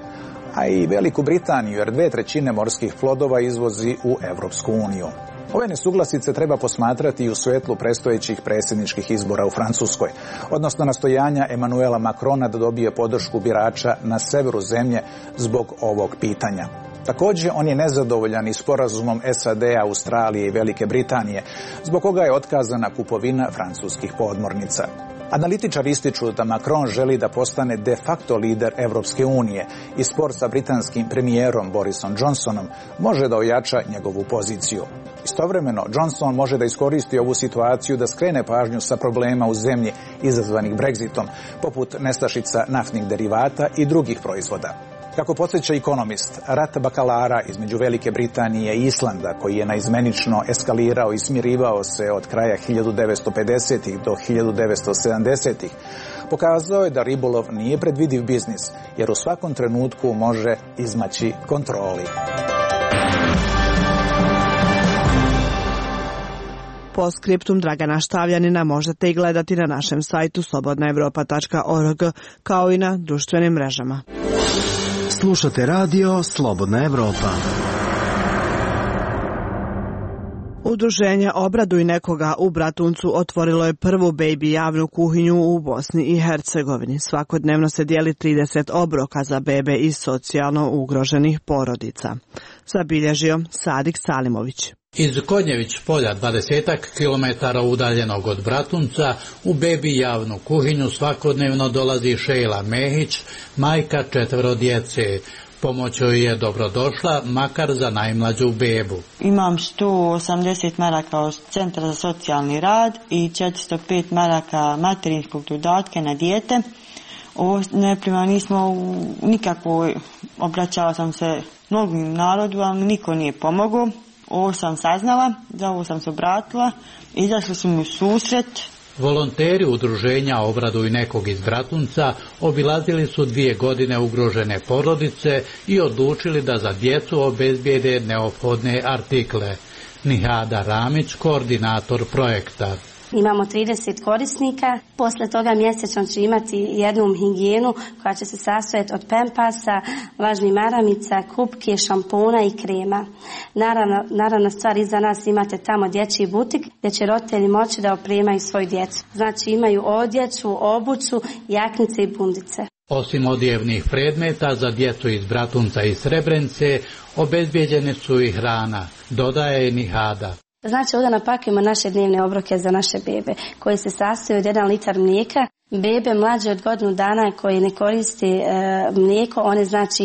a i Veliku Britaniju jer 2/3 morskih plodova izvozi u Evropsku uniju. Ove nesuglasice treba posmatrati i u svetlu predstojećih predsjedničkih izbora u Francuskoj, odnosno nastojanja Emanuela Macrona da dobije podršku birača na severu zemlje zbog ovog pitanja. Također, on je nezadovoljan i sporazumom SAD-a, Australije i Velike Britanije, zbog koga je otkazana kupovina francuskih podmornica. Analitičari ističu da Macron želi da postane de facto lider Evropske unije i spor sa britanskim premijerom Borisom Johnsonom može da ojača njegovu poziciju. Istovremeno, Johnson može da iskoristi ovu situaciju da skrene pažnju sa problema u zemlji izazvanih Brexitom, poput nestašica naftnih derivata i drugih proizvoda. Kako podsjeća Economist, rat bakalara između Velike Britanije i Islanda, koji je naizmenično eskalirao i smirivao se od kraja 1950-ih do 1970-ih, pokazao je da ribolov nije predvidiv biznis, jer u svakom trenutku može izmaći kontroli. Postscriptum Dragana Štavljanina možete i gledati na našem sajtu slobodnaevropa.org, kao i na društvenim mrežama. Slušate radio Slobodna Evropa. Udruženje Obraduj nekoga u Bratuncu otvorilo je prvu baby javnu kuhinju u Bosni i Hercegovini. Svakodnevno se dijeli 30 obroka za bebe iz socijalno ugroženih porodica. Zabilježio Sadik Salimović. Iz Konjević polja, 20 kilometara udaljenog od Bratunca, u bebi javnu kuhinju svakodnevno dolazi Šejla Mehić, majka 4 djece. Pomoć joj je dobrodošla, makar za najmlađu bebu. Imam 180 maraka od Centra za socijalni rad i 405 maraka materinskog dodatka na dijete. Ovo neprima nismo nikako, obraćala sam se mnogim narodu, ali niko nije pomogao. Ovo sam saznala, za ovo sam se obratila, izašli su mi u susret. Volonteri udruženja Obraduj nekog iz Bratunca obilazili su 2 godine ugrožene porodice i odlučili da za djecu obezbijede neophodne artikle. Nihada Ramić, koordinator projekta. Imamo 30 korisnika, posle toga mjesečno će imati jednu higijenu koja će se sastojati od pempasa, vlažnih maramica, kupke, šampona i krema. Naravno stvar iza nas imate tamo dječji butik gdje će roditelji moći da opremaju svoju djecu. Znači imaju odjeću, obuću, jaknice i bundice. Osim odjevnih predmeta za djecu iz Bratunca i Srebrenice, obezbijeđene su i hrana, dodaje Nihada. Znači ovdje napakujemo naše dnevne obroke za naše bebe koji se sastoje od 1 litar mlijeka. Bebe mlađe od godinu dana koji ne koriste mlijeko, one znači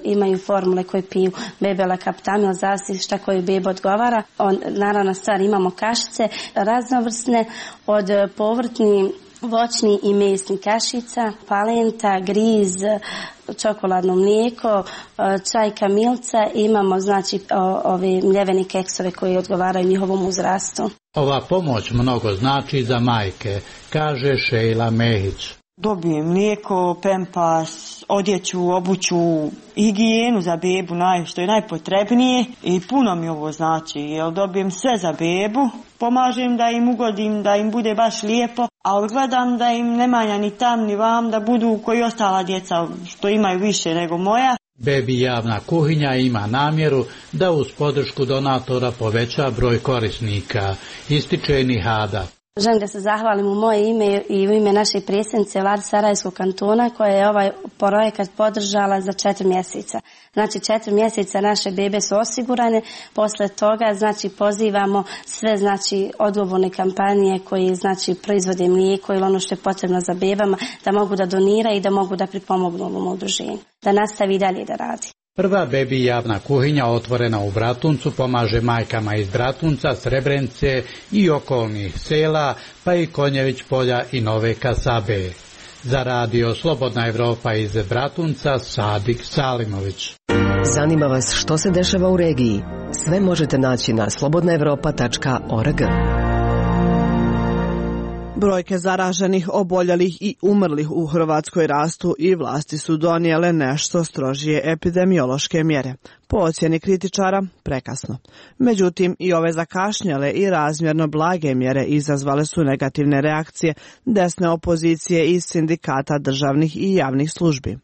imaju formule koje piju bebe lakaptamil, zavisi šta koju bebe odgovara. Naravno stvar imamo kašice raznovrsne od povrtni, voćni i mesni kašica, palenta, griz, čokoladno mlijeko, čaj kamilca, imamo znači ove mljevene keksove koji odgovaraju njihovom uzrastu. Ova pomoć mnogo znači za majke, kaže Šejla Mehić. Dobijem mlijeko, pempas, odjeću, obuću, higijenu za bebu, što je najpotrebnije i puno mi ovo znači, jer dobijem sve za bebu, pomažem da im ugodim, da im bude baš lijepo, ali gledam da im ne manja ni tam ni vam, da budu koji ostala djeca što imaju više nego moja. Bebi javna kuhinja ima namjeru da uz podršku donatora poveća broj korisnika, ističe Nihada. Želim da se zahvalim u moje ime i u ime naše predsjednice Vlade Sarajevskog kantona koja je ovaj projekat podržala za 4 mjeseca. Znači 4 mjeseca naše bebe su osigurane, posle toga znači pozivamo sve znači odgovorne kompanije koji znači proizvode mlijeko ili ono što je potrebno za bebama da mogu da doniraju i da mogu da pripomognu ovom udruženju, da nastavi dalje da radi. Prva bebi javna kuhinja otvorena u Bratuncu pomaže majkama iz Bratunca, Srebrenice i okolnih sela, pa i Konjević polja i Nove Kasabe. Za radio Slobodna Evropa iz Bratunca, Sadik Salimović. Zanima vas što se dešava u regiji? Sve možete naći na slobodnaevropa.org. Brojke zaraženih, oboljelih i umrlih u Hrvatskoj rastu i vlasti su donijele nešto strožije epidemiološke mjere. Po ocjeni kritičara, prekasno. Međutim, i ove zakašnjele i razmjerno blage mjere izazvale su negativne reakcije desne opozicije i sindikata državnih i javnih službi.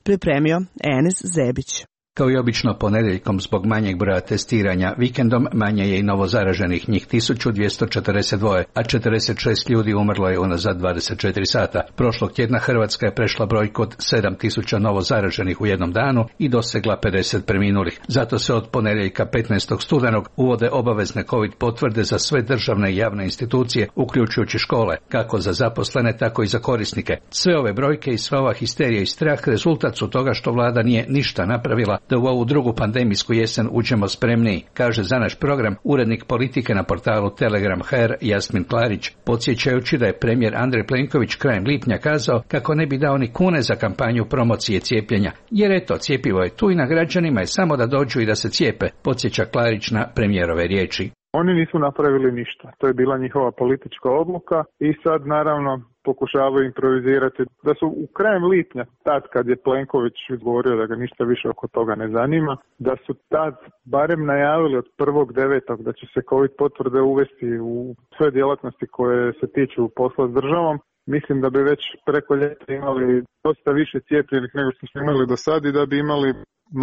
Pripremio Enis Zebić. Kao i obično ponedjeljkom zbog manjeg broja testiranja, vikendom manje je i novozaraženih, njih 1242, a 46 ljudi umrlo je unazad 24 sata. Prošlog tjedna Hrvatska je prešla brojku od 7000 novozaraženih u jednom danu i dosegla 50 preminulih. Zato se od ponedjeljka 15. studenog uvode obavezne COVID potvrde za sve državne i javne institucije, uključujući škole, kako za zaposlene, tako i za korisnike. Sve ove brojke i sva ova histerija i strah rezultat su toga što vlada nije ništa napravila da u ovu drugu pandemijsku jesen uđemo spremniji, kaže za naš program urednik politike na portalu Telegram.hr Jasmin Klarić, podsjećajući da je premijer Andrej Plenković krajem lipnja kazao kako ne bi dao ni kune za kampanju promocije cijepljenja, jer eto, cjepivo je tu i na građanima je samo da dođu i da se cijepe, podsjeća Klarić na premijerove riječi. Oni nisu napravili ništa, to je bila njihova politička odluka i sad naravno pokušavaju improvizirati da su u krajem lipnja, tad kad je Plenković govorio da ga ništa više oko toga ne zanima, da su tad barem najavili od 1.9. da će se COVID potvrde uvesti u sve djelatnosti koje se tiču posla s državom. Mislim da bi već preko ljeta imali dosta više cijepljenih nego što smo imali do sad i da bi imali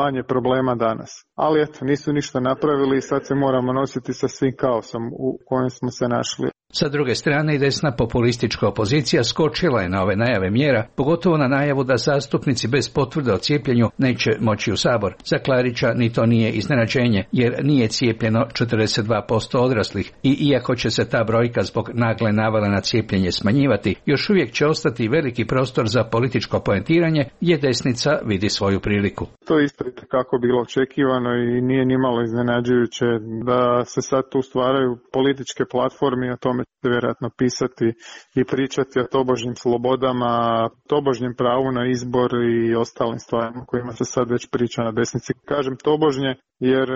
manje problema danas. Ali eto, nisu ništa napravili i sad se moramo nositi sa svim kaosom u kojem smo se našli. Sa druge strane, i desna populistička opozicija skočila je na ove najave mjera, pogotovo na najavu da zastupnici bez potvrde o cijepljenju neće moći u Sabor. Za Klarića ni to nije iznenađenje, jer nije cijepljeno 42% odraslih i iako će se ta brojka zbog nagle navale na cijepljenje smanjivati, još uvijek će ostati veliki prostor za političko poentiranje gdje desnica vidi svoju priliku. To je isto kako bilo očekivano i nije nimalo iznenađujuće da se sad tu stvaraju političke platforme, o tome će vjerojatno pisati i pričati o tobožnjim slobodama, tobožnjem pravu na izbor i ostalim stvarima kojima se sad već priča na desnici. Kažem tobožnje jer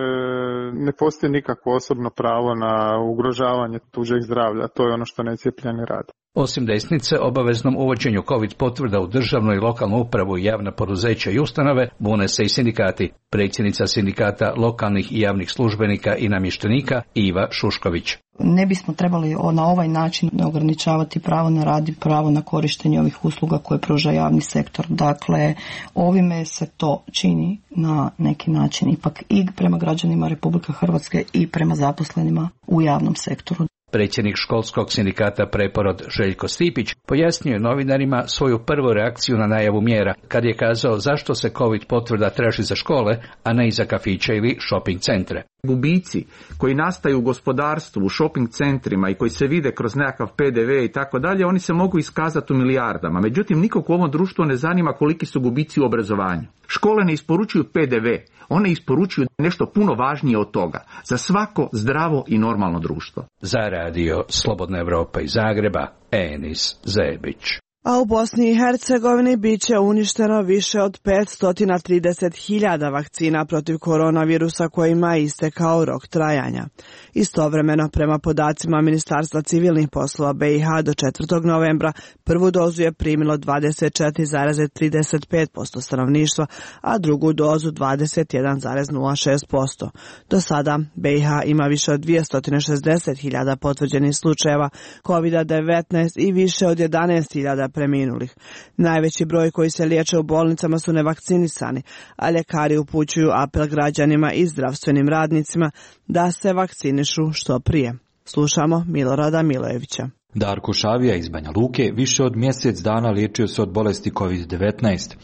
ne postoji nikakvo osobno pravo na ugrožavanje tuđeg zdravlja, to je ono što necijepljeni rade. Osim desnice, obaveznom uvođenju COVID potvrda u državnu i lokalnu upravu i javna poduzeća i ustanove bune se i sindikati. Predsjednica sindikata lokalnih i javnih službenika i namještenika Iva Šušković. Ne bismo trebali na ovaj način ograničavati pravo na rad i pravo na korištenje ovih usluga koje pruža javni sektor. Dakle, ovime se to čini na neki način ipak i prema građanima Republike Hrvatske i prema zaposlenima u javnom sektoru. Predsjednik školskog sindikata Preporod Željko Stipić pojasnio je novinarima svoju prvu reakciju na najavu mjera, kad je kazao zašto se COVID potvrda traži za škole, a ne i za kafiće ili shopping centre. Gubici koji nastaju u gospodarstvu, u shopping centrima i koji se vide kroz nekakav PDV i tako dalje, oni se mogu iskazati u milijardama. Međutim, nikog u ovom društvu ne zanima koliki su gubici u obrazovanju. Škole ne isporučuju PDV, one isporučuju nešto puno važnije od toga za svako zdravo i normalno društvo. Za radio Slobodna Evropa iz Zagreba, Enis Zebić. A u Bosni i Hercegovini bit će uništeno više od 530.000 vakcina protiv koronavirusa kojima je istekao rok trajanja. Istovremeno, prema podacima Ministarstva civilnih poslova BiH do 4. novembra, prvu dozu je primilo 24,35% stanovništva, a drugu dozu 21,06%. Do sada BiH ima više od 260.000 potvrđenih slučajeva COVID-19 i više od 11.000 preminulih. Najveći broj koji se liječe u bolnicama su nevakcinisani, a ljekari upućuju apel građanima i zdravstvenim radnicima da se vakcinišu što prije. Slušamo Milorada Milojevića. Darko Šavija iz Banja Luke više od mjesec dana liječio se od bolesti COVID-19.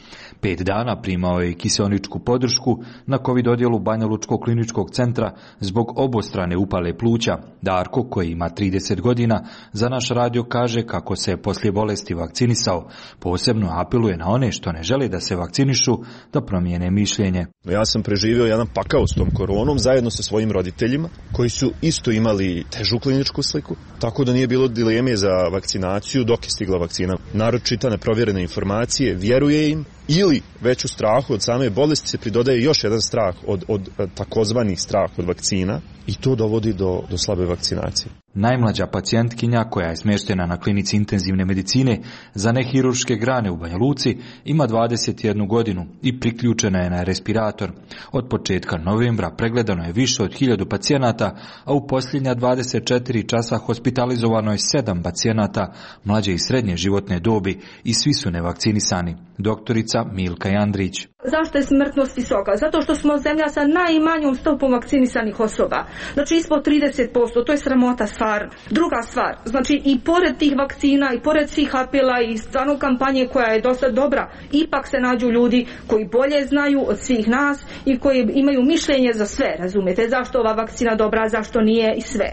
5 dana primao je i kiseoničku podršku na COVID odjelu Banja Lučkog kliničkog centra zbog obostrane upale pluća. Darko, koji ima 30 godina, za naš radio kaže kako se poslije bolesti vakcinisao. Posebno apeluje na one što ne žele da se vakcinišu da promijene mišljenje. Ja sam preživio jedan pakao s tom koronom zajedno sa svojim roditeljima koji su isto imali težu kliničku sliku, tako da nije bilo dileme za vakcinaciju dok je stigla vakcina. Narod čita neprovjerene informacije, vjeruje im ili već u strahu od same bolesti se pridodaje još jedan strah od takozvani strah od vakcina i to dovodi do slabe vakcinacije. Najmlađa pacijentkinja koja je smještena na klinici intenzivne medicine za nehirurške grane u Banja Luci ima 21 godinu i priključena je na respirator. Od početka novembra pregledano je više od 1000 pacijenata, a u posljednja 24 časa hospitalizovano je 7 pacijenata mlađe i srednje životne dobi i svi su nevakcinisani. Doktorica Milka Jandrić. Zašto je smrtnost visoka? Zato što smo zemlja sa najmanjom stopom vakcinisanih osoba. Znači ispod 30%, to je sramota stvar. Druga stvar, znači i pored tih vakcina i pored svih apela i stvarno kampanje koja je dosta dobra, ipak se nađu ljudi koji bolje znaju od svih nas i koji imaju mišljenje za sve, razumijete? Zašto ova vakcina dobra, zašto nije i sve.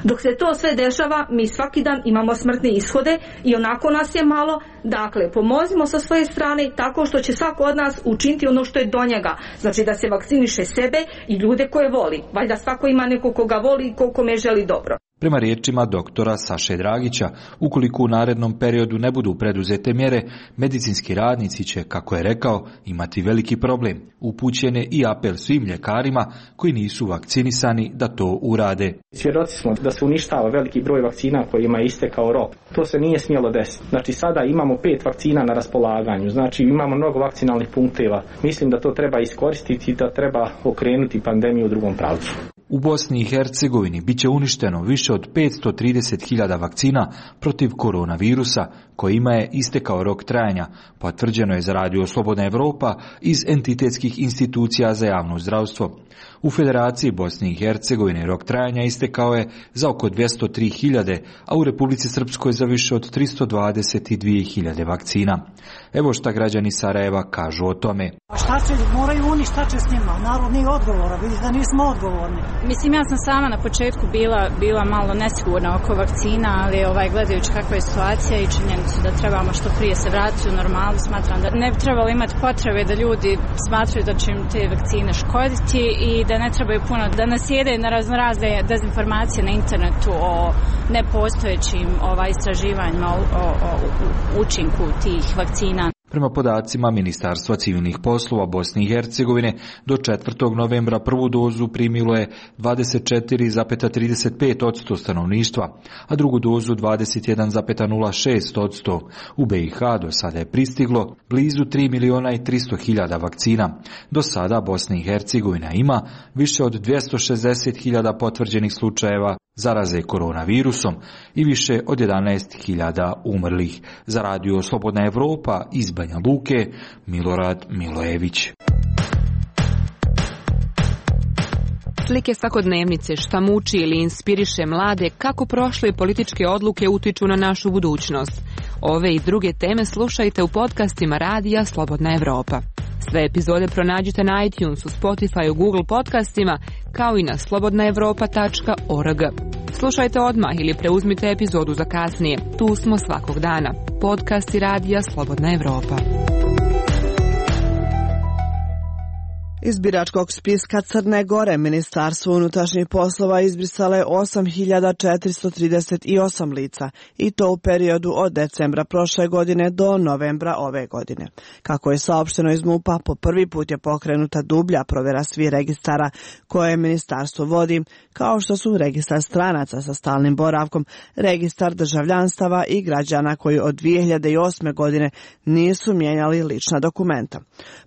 Dok se to sve dešava, mi svaki dan imamo smrtne ishode i onako nas je malo. Dakle, pomozimo sa svoje strane tako što će svako od nas učiniti ono što je do njega. Znači da se vakciniše sebe i ljude koje voli. Valjda svako ima neko koga voli i kome želi dobro. Prema riječima doktora Saše Dragića, ukoliko u narednom periodu ne budu preduzete mjere, medicinski radnici će, kako je rekao, imati veliki problem. Upućen je i apel svim ljekarima koji nisu vakcinisani da to urade. Svjedoci smo da se uništava veliki broj vakcina kojima je istekao rok. To se nije smjelo desiti. Znači sada imamo 5 vakcina na raspolaganju, znači imamo mnogo vakcinalnih punkteva. Mislim da to treba iskoristiti i da treba okrenuti pandemiju u drugom pravcu. U Bosni i Hercegovini bit će uništeno više od 530.000 vakcina protiv koronavirusa, kojima je istekao rok trajanja, potvrđeno je za radio Slobodna Evropa iz entitetskih institucija za javno zdravstvo. U Federaciji Bosne i Hercegovine rok trajanja istekao je za oko 203.000, a u Republici Srpskoj za više od 322.000 vakcina. Evo šta građani Sarajeva kažu o tome. Šta će, moraju oni, šta će s njima? Narod nije odgovora, vidi da nismo odgovorni. Mislim, ja sam sama na početku bila malo nesigurna oko vakcina, ali gledajući kakva je situacija i činjenicu da trebamo što prije se vratiti u normalu, smatram da ne bi trebalo imati potrebe da ljudi smatraju da će im te vakcine škoditi i da ne trebaju puno da nasjedaju na razne dezinformacije na internetu o nepostojećim istraživanjima o učinku tih vakcina. Prema podacima Ministarstva civilnih poslova Bosne i Hercegovine, do 4. novembra prvu dozu primilo je 24,35% stanovništva, a drugu dozu 21,06%. U BiH do sada je pristiglo blizu 3.300.000 vakcina. Do sada Bosna i Hercegovina ima više od 260.000 potvrđenih slučajeva zaraze koronavirusom i više od 11.000 umrlih. Za radio Slobodna Evropa iz Banja Luke, Milorad Milojević. Slike svakodnevnice, šta muči ili inspiriše mlade, kako prošle političke odluke utiču na našu budućnost. Ove i druge teme slušajte u podcastima radija Slobodna Evropa. Sve epizode pronađite na iTunesu, Spotify, Google podcastima, kao i na slobodnaevropa.org. Slušajte odmah ili preuzmite epizodu za kasnije. Tu smo svakog dana. Podcasti radija Slobodna Evropa. Iz biračkog spiska Crne Gore Ministarstvo unutrašnjih poslova izbrisalo je 8.438 lica i to u periodu od decembra prošle godine do novembra ove godine. Kako je saopšteno iz MUP-a, po prvi put je pokrenuta dublja provjera svih registara koje ministarstvo vodi, kao što su registar stranaca sa stalnim boravkom, registar državljanstava i građana koji od 2008. godine nisu mijenjali lična dokumenta.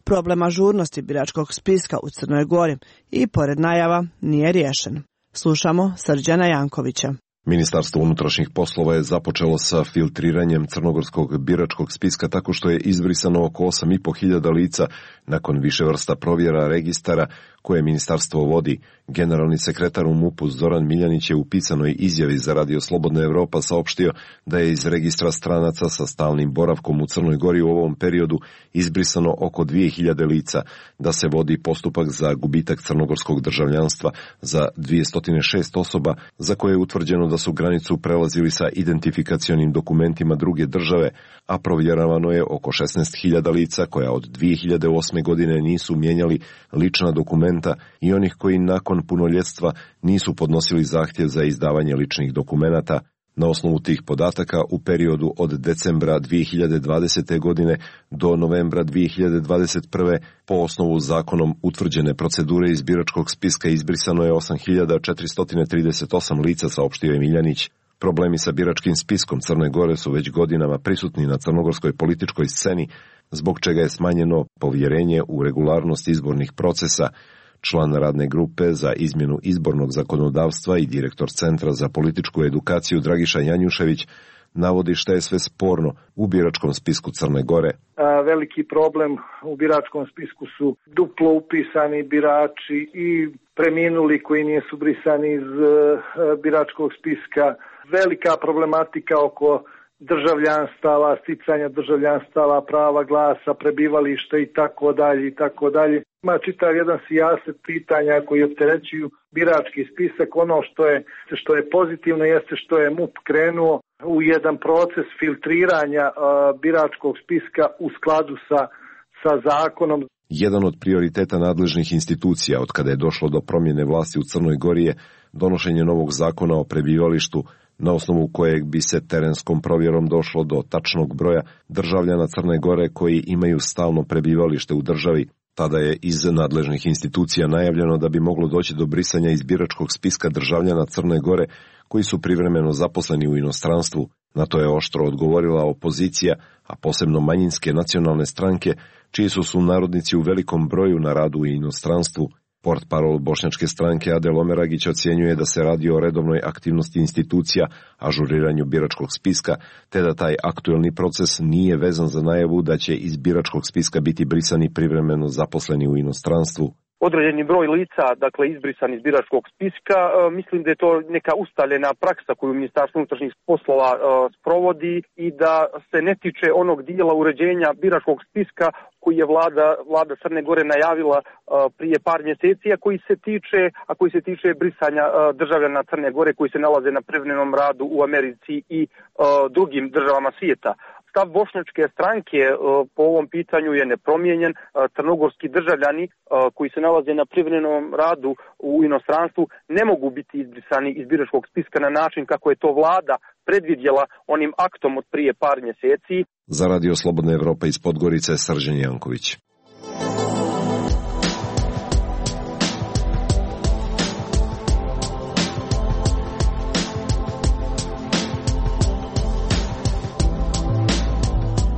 Problem ažurnosti biračkog spiska u Crnoj Gori i pored najava nije riješen. Slušamo Srđana Jankovića. Ministarstvo unutrašnjih poslova je započelo sa filtriranjem crnogorskog biračkog spiska tako što je izbrisano oko 8.500 lica nakon više vrsta provjera registara koje ministarstvo vodi. Generalni sekretar u MUP-u Zoran Miljanić je u pisanoj izjavi za radio Slobodna Evropa saopštio da je iz registra stranaca sa stalnim boravkom u Crnoj Gori u ovom periodu izbrisano oko 2.000 lica, da se vodi postupak za gubitak crnogorskog državljanstva za 206 osoba za koje je utvrđeno da su granicu prelazili sa identifikacionim dokumentima druge države, a provjeravano je oko 16.000 lica koja od 2008. godine nisu mijenjali lična dokumenta i onih koji nakon punoljetstva nisu podnosili zahtjev za izdavanje ličnih dokumenata. Na osnovu tih podataka u periodu od decembra 2020. godine do novembra 2021. po osnovu zakonom utvrđene procedure iz biračkog spiska izbrisano je 8.438 lica, saopštio je Miljanić. Problemi sa biračkim spiskom Crne Gore su već godinama prisutni na crnogorskoj političkoj sceni, zbog čega je smanjeno povjerenje u regularnost izbornih procesa. Član radne grupe za izmjenu izbornog zakonodavstva i direktor Centra za političku edukaciju Dragiša Janjušević navodi šta je sve sporno u biračkom spisku Crne Gore. Veliki problem u biračkom spisku su duplo upisani birači i preminuli koji nisu brisani iz biračkog spiska. Velika problematika oko državljanstava, sticanja državljanstava, prava glasa, prebivališta i tako dalje i tako dalje. Ima čitav jedan sijaset pitanja koji opterećuju birački spisak. Ono što je pozitivno jeste što je MUP krenuo u jedan proces filtriranja biračkog spiska u skladu sa zakonom. Jedan od prioriteta nadležnih institucija od kada je došlo do promjene vlasti u Crnoj Gori je donošenje novog zakona o prebivalištu, na osnovu kojeg bi se terenskom provjerom došlo do tačnog broja državljana Crne Gore koji imaju stalno prebivalište u državi. Tada je iz nadležnih institucija najavljeno da bi moglo doći do brisanja iz biračkog spiska državljana Crne Gore koji su privremeno zaposleni u inostranstvu. Na to je oštro odgovorila opozicija, a posebno manjinske nacionalne stranke, čiji su sunarodnici u velikom broju na radu u inostranstvu. Portparol bošnjačke stranke Adel Omeragić ocjenjuje da se radi o redovnoj aktivnosti institucija, ažuriranju biračkog spiska, te da taj aktuelni proces nije vezan za najavu da će iz biračkog spiska biti brisani privremeno zaposleni u inostranstvu. određeni broj lica, dakle izbrisan iz biračkog spiska. Mislim da je to neka ustaljena praksa koju Ministarstvo unutrašnjih poslova sprovodi i da se ne tiče onog dijela uređenja biračkog spiska koji je vlada Crne Gore najavila prije par mjeseci, a koji se tiče brisanja državljana Crne Gore koji se nalaze na privremenom radu u Americi i drugim državama svijeta. Stav bošnjačke stranke po ovom pitanju je nepromijenjen. Crnogorski državljani koji se nalaze na privremenom radu u inostranstvu ne mogu biti izbrisani iz biračkog spiska na način kako je to vlada predvidjela onim aktom od prije par mjeseci. Za Radio Slobodna Evropa iz Podgorice, Srđan Janković.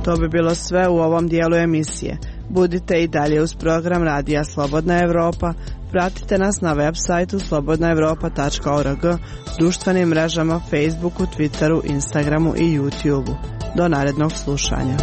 To bi bilo sve u ovom dijelu emisije. Budite i dalje uz program Radija Slobodna Evropa. Pratite nas na web sajtu slobodnaevropa.org, društvenim mrežama Facebooku, Twitteru, Instagramu i YouTubeu. Do narednog slušanja.